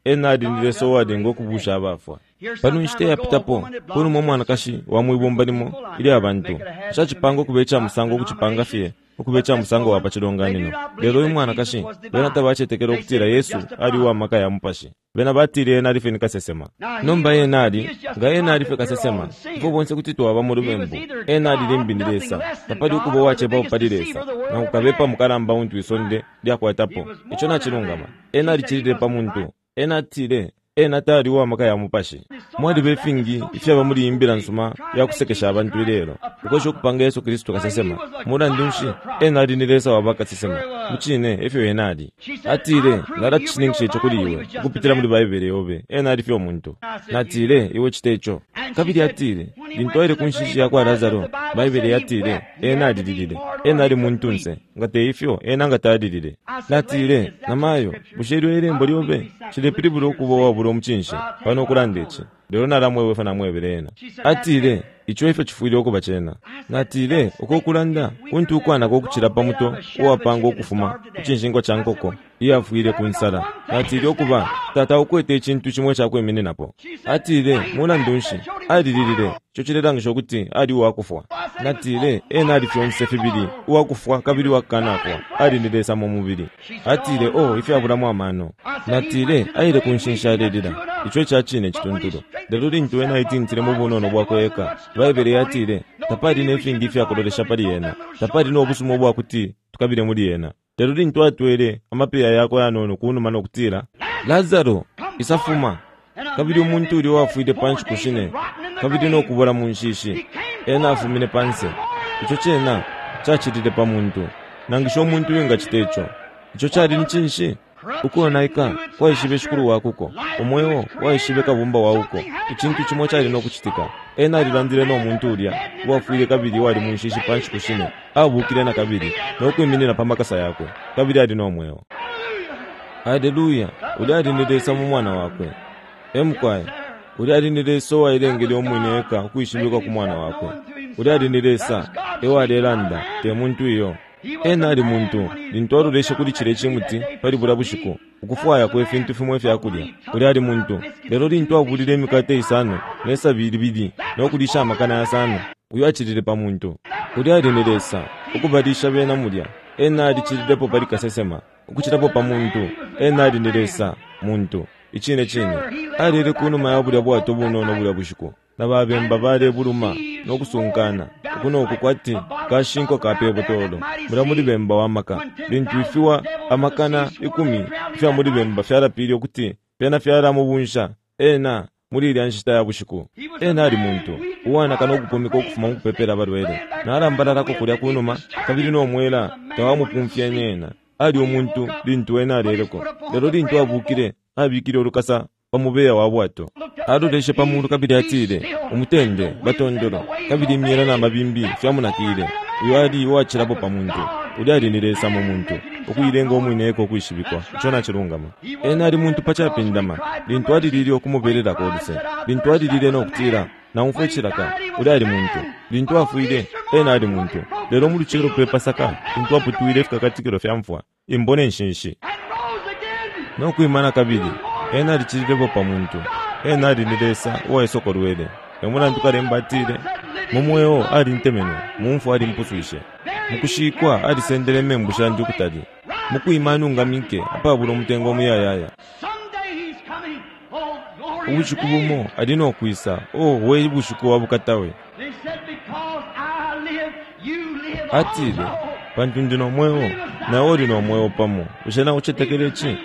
Ena ali ni Lesa uwalinga ukubusha abafwa. Pano inshita yapitapo, kunuma umwanakashi wa mwibumba limo ilya bantu. Nshacipanga ukuba ica musango ukucipanga fye, ukuba ica musango wa pa cilonganino. Lelo uyu mwanakashi, bena tabacetekela ukutila Yesu ali uwa maka ya mupashi. Bena batile ena ali fye ni kasesema. Nomba ena ali, nga ena ali fye kasesema, ifwe bonse kuti twaba mu lubembu. Ena ali limbi ni Lesa. Tapali ukuba uwacepapo pali Lesa. Nangu kabepa mukalamba untu isonde lyakwatapo. Ico nacilungama. Ena alicilile pa muntu. Ena atile, ena tali uwa maka ya mupashi. Mwaliba ifingi ifyaba muli iyi mbila nsuma ya kusekesha abantu ilelo. Ukwesha ukupanga Yesu Kristu kasesema. Mulandu nshi, ena ali ni Lesa wa bakasesema. Mu cine, efyo ena ali. Atile, nalacishininkisha ico kuli iwe, ukupitila muli Baibele yobe. Ena ali fye umuntu. Natile, iwe cite ico. Kabili atile, lintu aile ku nshishi ya kwa Lazaro, Baibele yatile, ena alililile. Ena ali muntunse. Nga te ifyo, ena nga talilile. Natile, namayo, bushe ilyo ilembo lyobe cilepilibula ukuba uwabula umucinshi pano ukulanda ici. Lelo nalamwebwe fye namwebele ena. Atile, ico efyo cifwile ukuba cena. Natile, uko kulanda kuntu ukwanaka ukucila pa muto uwapanga ukufuma ku cinshingwa ca nkoko iyafwile ku nsala. Natile ukuba tata ukwete icintu cimo icakwimininapo. Atile, mulandu nshi, alililile. Ico cilelangisha ukuti ali uwakufwa. Natile, ena ali fyonse fibili, uwakufwa kabili uwakukanafwa. Ali ni Lesa mu mubili. Atile, oh, ifyabulamo amano. Natile, aile ku nshishi alelila. Ico ica cine cituntulu. Lelo lintu ena aitintile mu bunono bwakwe eka, Baibele yatile, tapali ne fingi ifyakulolesha pali ena. Tapali no busuma ubwakuti tukabile muli ena. Lelo lintu atwele amapeya yakwe yanono kunuma no kutila, Lazaro, isafuma. Kabili umuntu ulya uwafwile pa nshiku shine, kabili no kubola mu nshishi, ena afumine panse. Ico cena cacilile pa muntu. Nangisha umuntu wingacita ico. Ico cali ni cinshi? Ukonaika kwaishibe shikulu wakuko, umweo waishibe kabumba wauko. Icintu cimo cali no kucitika. Ena alilandile no muntu ulya uwafwile kabili wali munshishi pa nshiku shine, abukile na kabili no kwiminina pa makasa yakwe, kabili ali no mweo. Haleluya! Ulya ali ni Lesa mu mwana wakwe. Emukwaye ulya ali ni Lesa uwailengele umwine eka ukwishibikwa ku mwana wakwe. Ulya ali ni Lesa ewalelanda, te muntu iyo. Ena ali muntu lintu aloleshe kuli cilya cimuti pali bulya bushiku, ukufwaya kwe fintu fimo ifyakulya. Ulya ali muntu, lelo lintu abulile imikate isano ne sabi libili no kulisha amakana yasano, uyo acilile pa muntu. Ulya ali ni Lesa ukubalisha bena mulya. Ena alicililepo pali kasesema, ukucilapo pa muntu. Ena ali ni Lesa muntu. Icine cine alile kunuma ya bulya bwato bunono bulya bushiku, na babemba balebuluma no kusunkana uku noku kwati kashinko ka pebutolo mulya muli bemba wa maka. Lintu ifiwa amakana ikumi ifya muli bemba fyalapile ukuti fyena fyalamubunsa ena muli ilya nshita ya bushiku. Ena ali muntu uwanaka no kupumika ukufuma mu kupepela abalwele, nalambalalako kulya kunuma, kabili no mwela tawamupumfyenye ena. Ali umuntu lintu ena aleleko, lelo lintu abukile abikile ulukasa pa mubeya wa bwato. Aloleshe pa mulu kabili atile, umutende batondolo, kabili imyela na mabimbi fyamunakile. Uyo ali uwacilapo pa muntu. Ulya ali ni Lesa mu muntu, ukuilenga umwine eko ukwishibikwa. Ico nacilungama. Ena ali muntu pa capindama lintu alilile ukumubelelako uluse, lintu alilile no kutila, naumfwa icilaka. Ulya ali muntu lintu afwile. Ena ali muntu, lelo mu lucelo pe Pasaka lintu aputwile ifikakatikilo fya mfwa, imbo ne nshinshi, no kwimana kabili. Ena alicililepo pa muntu. Ena ali ni Lesa uwaisokolwele. Emulandu kalemba atile, mu mweo alintemenwe, mu mfwa alimpuswishe. Mukushikwa alisendele membu shandi ukutali, mukwima anungamike apabula umutengo umuyayaya. Ubushiku bumo ali no kwisa. Oh, we bushiku wa bukatawe! Atile, pantu ndi no mweo, nawe uli no mweo pamo. Bushe naucetekele ci?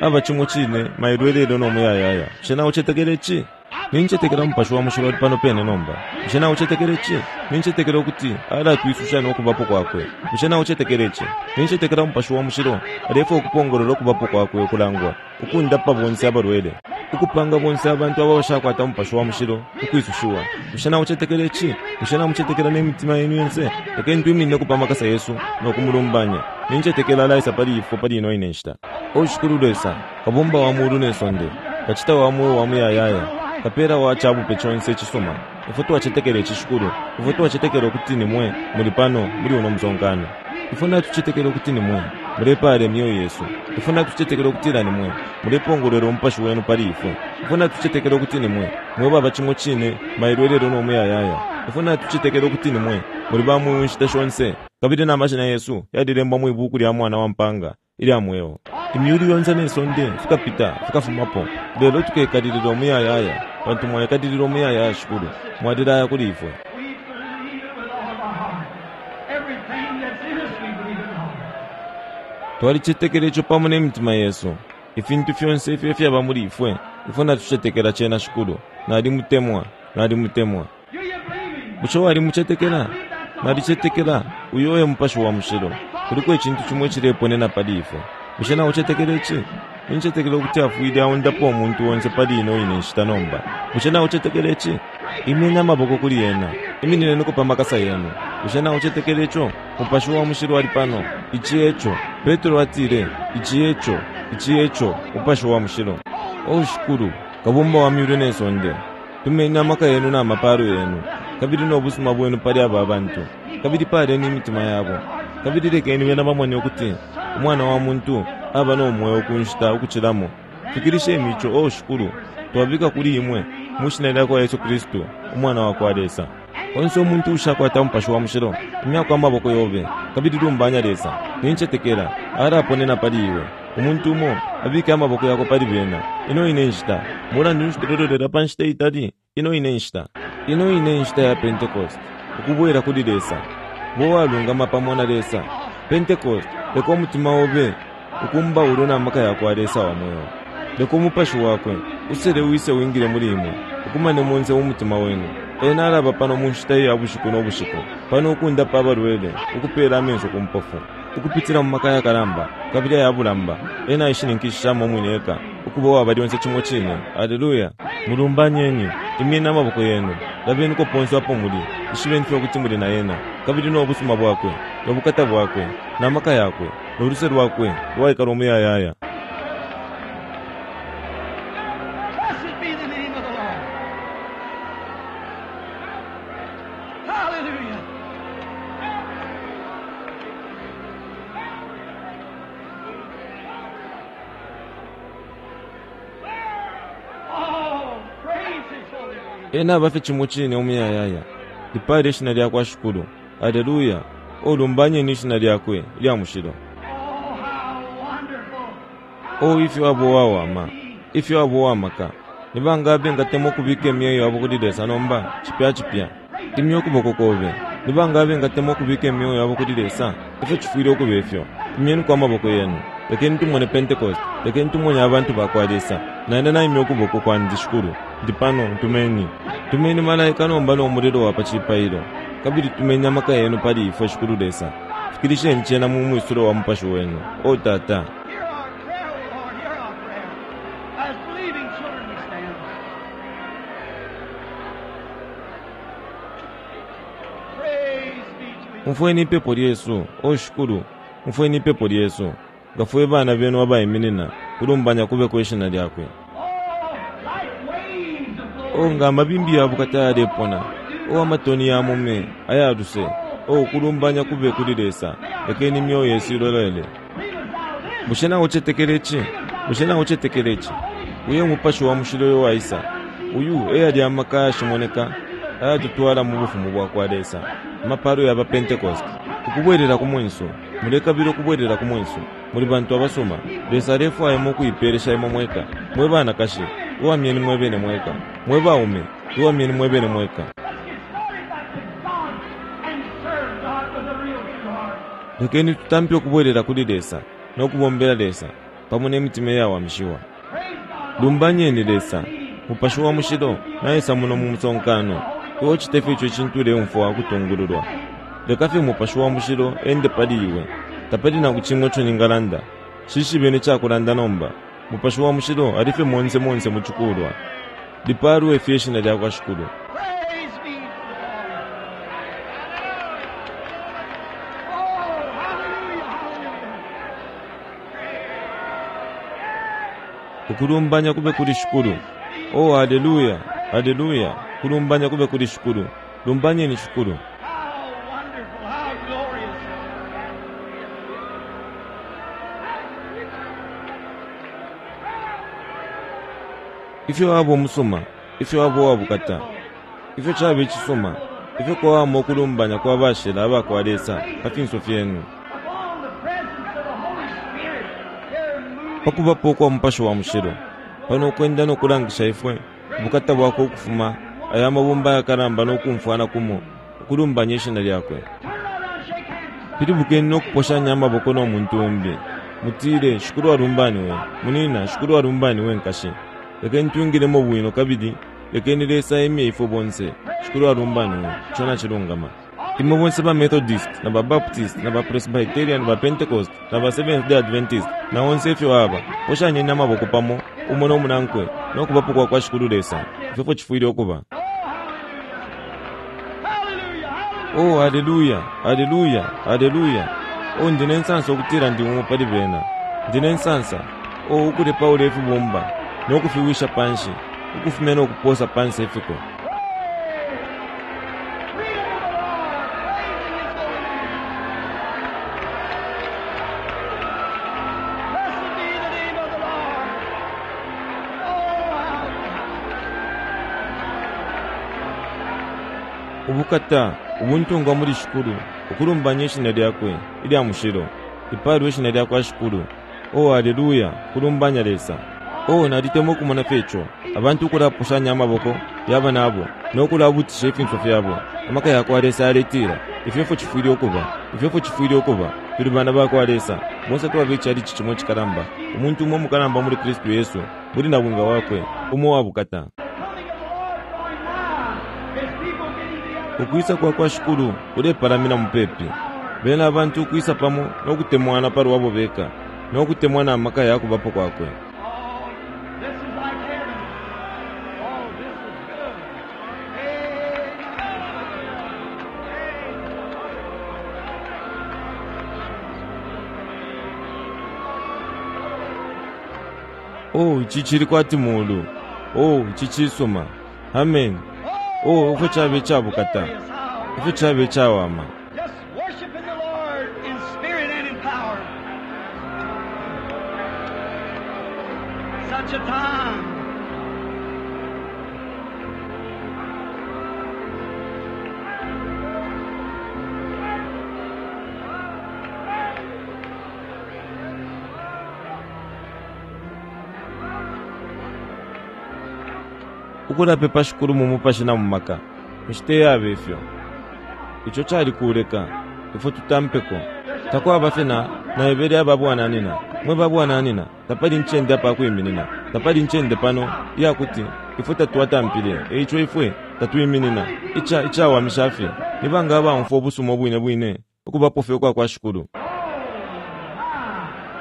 Aba cimo cine mailo elelo no muyayaya. Bushe naucetekele ci? Nincetekela Mupashi wa Mushilo ali pano pene nomba. Bushe naucetekele ci? Nincetekela ukuti alatwisusha no kubapo kwakwe. Bushe naucetekele ci? Nincetekela Mupashi wa Mushilo alefwaya ukupongolola ukubapo kwakwe ukulangwa, ukundapa bonse abalwele, ukupanga bonse abantu abo bashakwata Mupashi wa Mushilo ukwisushiwa. Bushe naucetekele ci? Bushe namucetekela ne mitima yenu yonse? Lekeni twiminine pa makasa yesu no kumulumbanya. Nincetekela alaisa pali ifwe pali ino ine nshita. O Shikulu Lesa, kabumba wa mulu ne sonde, kacita wa mweo wa muyayaya, kapela wa cabupe conse icisuma, ifwe twacetekela ici Shikulu. Ifwe twacetekela ukuti ni mwe muli pano muli uno musonkano. Ifwe natucetekela ukuti ni mwe mulepala imyoyo yesu. Ifwe natucetekela ukutila ni mwe mulepongolwela umupashi wenu pali ifwe. Ifwe natucetekela ukuti ni mwe mwe baba cimo cine mailo elelo no muyayaya. Ifwe natucetekela ukuti ni mwe muli ba mweo inshita shonse, kabili na mashina yesu yalilembwa mwi buku lya mwana wa mpanga ilya mweo. Imyulu yonse ne sonde fikapita fikafumapo, lelo tukekalilila umuyayaya, pantu mwaikatilila umuyayaya Shikulu, mwalilaya kuli ifwe. We believe it with all of our heart. Everything that's in us, we believe it, Lord. Twalicetekela ico pamo ne mitima yesu. Ifintu fyonse ifyo ifyaba muli ifwe, ifwe natucetekela cena Shikulu. Nalimutemwa, nalimutemwa. Do you believe him? Bushe walimucetekela? Nalicetekela uyo e Mupashi wa Mushilo. Kuliko icintu cimo icileponena pali ifwe. Bushe naucetekela ici? Nincetekela ukuti afwile aundapo umuntu onse pali ino ine nshita nomba. Bushe naucetekela ici? Imyeni amaboko kuli ena, iminineniko pa makasa yenu. Bushe naucetekela ico? Mupashi wa Mushilo ali pano. Ici eco. Petro atile, ici eco, ici eco, Mupashi wa Mushilo. O Shikulu, kabumba wa myulu ne sonde, tumeni amaka yenu na mapalo yenu, kabili no busuma bwenu pali aba bantu, kabili paleni imitima yabo, kabili lekeni bena bamone ukuti umwana wa muntu aba no mweo ku nshita ukucilamo. Fikilisheni ico, o Shikulu, twabika kuli imwe mu shina lya kwa Yesu Kristu, umwana wa kwa Lesa. Onse umuntu ushakwata Mupashi wa Mushilo, imyako amaboko yobe, kabili lumbanya Lesa. Nincetekela alaponena pali iwe. Umuntu umo abike amaboko yako pali bena. Ino ine nshita mulandu nshi tulololela pa nshita itali? Ino ine nshita, ino ine nshita ya Pentecost, ukubwela kuli Lesa, bo walungama pamo na Lesa. Pentecost, leka umutima obe ukumba na maka ya kwa Lesa wa mweo. Leka umupashi wakwe usele wise wingile muli imwe, ukumane monse umutima wenu. Ena alaba pano mu nshita ya bushiku no bushiku, pano ukundapa abalwele, ukupela amenso ku mpofu. Ukupitila mu maka yakalamba kabili ayabulamba, ena aishininkishishamo umwine eka ukuba uwaba lyonse cimo cine. Aleluya! Mulumbanyeni, imyeni amaboko yenu, labeniko ponse apo muli, ishibeni fye ukuti muli na ena, kabili no busuma bwakwe, no bukata bwakwe, na maka yakwe, no luse lwakwe lwaikala umuyayaya. Blessed be the name of the Lord. Hallelujah. Oh, praise His holy name. Ena aba fye cimo cine umuyayaya. Lipale ishina lyakwa Shikulu. Aleluya! Olumbanyeni ishina lyakwe ilya mushilo. Oh, how wonderful. O ifyo abo wawama, ifyo abo wamaka. Ni bangabe ngatemwa ukubika imyeo yabo kuli Lesa nomba, cipya cipya. Imya ukuboko kobe. Ni bangabe ngatemwa ukubika imyeo yabo kuli Lesa, ifyo cifwile ukuba ifyo. Imyeniko amaboko yenu. Lekeni tumone Pentecost, lekeni tumone abantu bakwa Lesa. Naine naimya ukuboko kwandi Shikulu. Ndi pano, ntumeni. Tumeni malaika nomba no mulilo wa pa cipailo. Kabili tumeni amaka yenu pali ifwe Shikulu Lesa. Fikilisheni cena mu mwisulo wa mupashi wenu. O Tata. Hear our prayer, O Lord, hear our prayer. As believing children we stand. Praise be to His Umfweni ipepo lyesu, o Shikulu, umfweni ipepo lyesu. Nga fwe bana benu abaiminina, kulumbanya kube kwishina lyakwe. Oh, like waves of glory. O nga amabimbi ya bukata yalepona, o amatoni ya mume ayaluse, o kulumbanya kube kuli Lesa, lekeni imyoyo yesu ilolele. Lead us out of this. Bushe naucetekela ici? Bushe naucetekela ici? Uyo umupashi wa mushilo uyo waisa. Uyu eyali amaka ayashimoneka ayatutwala mu bufumu bwakwa Lesa. Amapalo yaba Pentecost. Ukubwerera ku mwenso. Mulekabila ukubwerera ku mwenso. Muli bantu abasuma. Lesa alefwaya ukuipelesha imwe mweka. Mwe banakashi, uwamyeni mwe bene mweka. Mwe baume, uwamyeni mwe bene mweka. Let's get started back to God and serve God with a real true heart. Lekeni tutampe ukubwerera kuli Lesa no kubombela Lesa pamo n'emitima iyawamishiwa. Praise God. Lumbanyeni Lesa, mupashi wa mushilo naisa muno mu musonkano. Iwe ucite fye ico cintu uleumfwa ukutungululwa. Leka fye mupashi wa mushilo ende pali iwe. Tapali nangu cimwe ico ningalanda. Shishibeni icakulanda nomba. Mupashi wa mushilo ali fye monse monse mu cikulwa. Lipalwe fye ishina lyakwa Shikulu. Praise be to the Lord. Oh, hallelujah, hallelujah. Ukulumbanya kube kuli Shikulu. Oh, haleluya, haleluya. Kulumbanya kube kuli Shikulu. Lumbanyeni Shikulu. How wonderful, how glorious. Ifyo abo umusuma, ifyo abo wabukata, ifyo caba icisuma, ifyo kwawama ukulumbanya kwa bashila abakwa Lesa pa finso fyenu. Upon the presence of the Holy Spirit, they're moving. Pakubapo kwa mupashi wa mushilo, pano ukwenda nokulangisha ifwe ubukata bwakwe ukufuma aya mabumba ayakalamba nokumfwana kumo, ukulumbanya ishina lyakwe. Turn right around, shake hands with somebody. Pilibukeni nokuposhanya amaboko no muntu umbi. Mutile, Shikulu alumbaniwe, munina, Shikulu alumbaniwe nkashi. Lekeni twingilemo bwino kabili, lekeni Lesa emye ifwe bonse. Shikulu alumbaniwe, ico nacilungama. Imwe bonse ba Methodist, na ba Baptist, na ba Presbyterian, ba Pentecost, na ba Seventh Day Adventist, na onse ifyo aba, poshanyeni amaboko pamo, umo no munankwe, nokubapo kwa kwa Shikulu Lesa. Ifyo fyo cifwile ukuba. Hallelujah, hallelujah. Oh, haleluya, haleluya, haleluya. Oh, ndi nensansa ukutila ndi umo pali bena. Ndi nensansa. Oh, ukulepaula ifibumba, nokufiwisha panshi, ukufumya nokuposa pansi ifiko. Freedom of the Lord, praising His holy name. Blessed be the name of the Lord. Oh, how Ubukata, ubuntungwa muli Shikulu, ukulumbanya ishina lyakwe, ilya mushilo. Ipalwe ishina lyakwa Shikulu. Oh, haleluya, kulumbanya Lesa. Oh, nalitemwa ukumona fye ico. Abantu ukulapushanya amaboko yaba nabo, nokulabutisha ifinso fyabo. Amaka yakwa Lesa yaletila, ifyo efyo cifwile ukuba, ifyo efyo cifwile ukuba. Tuli bana bakwa Lesa. Bonse twaba icalici cimo icikalamba. Umuntu umo umukalamba muli Kristu Yesu, muli nabwinga wakwe, umo wa bukata. the coming of the Lord drawing nigh. His people getting together. Ukwisa kwa kwa Shikulu kulepalamina mupepi. Bena abantu ukwisa pamo no kutemwana palwabo beka, no kutemwa na maka ya kubapo kwakwe. Oh, this is like heaven. Oh, this is good. Oh, ici cili kwati mulu. Oh, ici cisuma. Amen. Oh, ifyo cabe icabukata. Ifyo cabe icawama. Just worshiping the Lord in spirit and in power. Such a time. Ukulapepa Shikulu mu mupashi na mu maka. Inshita iyaba ifyo. Ico cali kuleka ifwe tutampeko. Takwaba fye na naebele aba bwananina. Mwe ba bwananina, tapali ncende apa kwiminina. Tapali ncende pano iyakuti ifwe tatwatampile. Eico ifwe tatwiminina. Ica icawamisha fye. Ni banga abaumfwa ubusuma ubwine bwine ukubapo fye ukwa kwa Shikulu.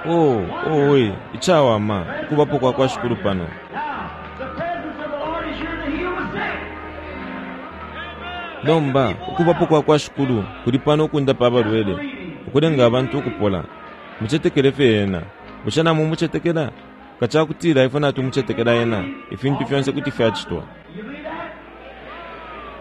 Oh, oh, we, icawama ukubapo kwa kwa Shikulu pano. Now, the presence of the Lord is here to heal the sick. Nomba ukubapo kwa kwa Shikulu kuli pano ukundapa abalwele, ukulenga abantu ukupola. Mucetekele fye ena. Bushe namwe mucetekela? Nga cakutila ifwe natumucetekela ena, ifintu fyonse kuti fyacitwa. You believe that?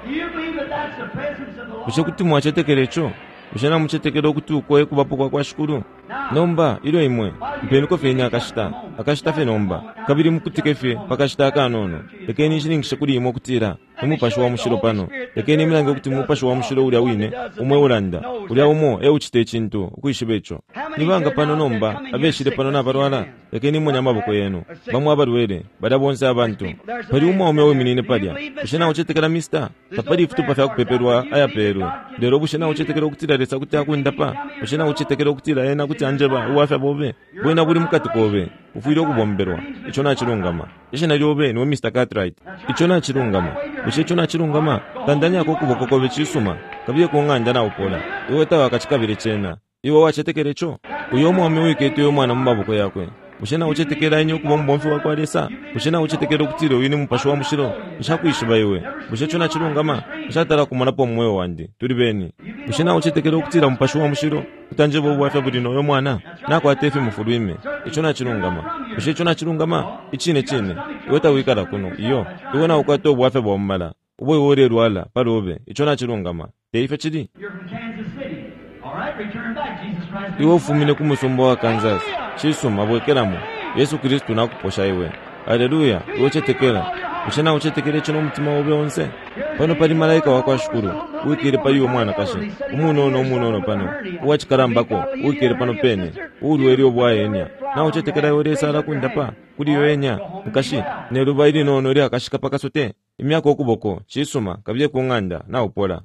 Do you believe that that's the presence of the Lord? Bushe kuti mwacetekela ico? Bushe namucetekela ukuti uko e kubapo kwa kwa Shikulu? Nomba ilyo imwe mpeniko fye ine akashita, akashita fye nomba, kabili mukutike fye pakashita akanono. Lekeni nshininkishe kuli imwe ukutila Umupashi wa Mushilo pano. Lekeni imilange ukuti Umupashi wa Mushilo ulya wine umwe ulanda, ulya umo eucita icintu ukwishiba ico. Ni banga pano nomba abeshile pano nabalwala? Lekeni imone amaboko yenu. Bamwe abalwele, balya bonse abantu. Pali umwaume uwiminine palya. Bushe naucetekela, mister? Tapali ifitupa fya kupepelwa ayapelwe. Lelo bushe naucetekela ukutila Lesa kuti akundapa? Bushe naucetekela ukutila ena kuti anjeba ubwafya bobe? Bwena buli mukati kobe, ufwile ukubombelwa. Ico nacilungama. Ishina lyobe niwe Mister Cartwright. Ico nacilungama. Bushe ico nacilungama? Tandanyako ukuboko kobe cisuma. Kabiye ku ng'anda naupola. Iwe tawakacikabile cena. Iwe wacetekela ico? Uyo umwaume wikete uyo mwana mu maboko yakwe. Bushe naucetekela ine ukuba umubomfi wa kwa Lesa? Bushe naucetekela ukutila uyu ni Mupashi wa Mushilo? Nshakwishiba iwe. Bushe ico nacilungama? Nshatala kumonapo mu mweo wandi. Tuli beni. Bushe naucetekela ukutila Mupashi wa Mushilo utanjeba ubwafya buli noyo mwana? Nakwata ifimufulwime. Ico nacilungama. Bushe ico nacilungama? Icine cine. Iwe tawikala kuno. Iyo. Iwe naukwata ubwafya bwa mumala. Ubo iwe ulelwala palobe. Ico nacilungama. Te ifyo cili? You're from Kansas City. All right, return back. Jesus Christ. Iwe ufumine ku musumba wa Kansas. Cisuma bwekelamo. Yesu Kristu nakuposha iwe. Haleluya. Iwe cetekela. Bushe naucetekela ico n'omutima obe onse? Pano pali malaika wa kwa Shikulu uwikele pali uyo mwanakashi umunono umunono pano uwacikalambako uwikele pano pene uulwele ubwa enya. Naucetekela iwe Lesa alakundapa kuli iyo enya nkashi neluba ilinono lyakashika pakasote imyaka ukuboko cisuma kabiye ku ng'anda naupola.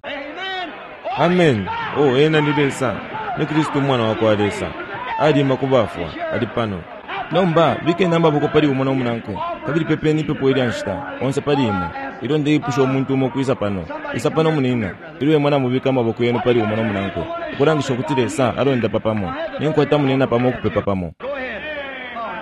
Amen. Amen. Oh, ena ni Lesa, ni Kristu umwana wa kwa Lesa. Alima ku bafwa, ali pano. Nomba bikeni amaboko pali umo nomunankwe, kabili pepeni ipepo ilya nshita onse pali imwe. Ilyo ndeipusha umuntu umo kwisa pano, isa pano munina. Ilyo imwe namubika amaboko yenu pali umo nomunankwe, ukulangisha ukuti Lesa alondapa pamo. Ninkwata munina pamo ukupepa pamo. Go ahead.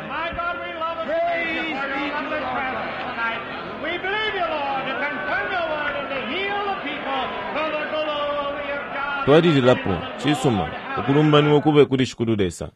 My God, we love and Praise praise be you to for the your Lord. presence tonight. We believe you, Lord, to confirm your word and to heal the people for the glory of God. Twalililapo cisuma ukulumbaniwa kube kuli Shikulu Lesa.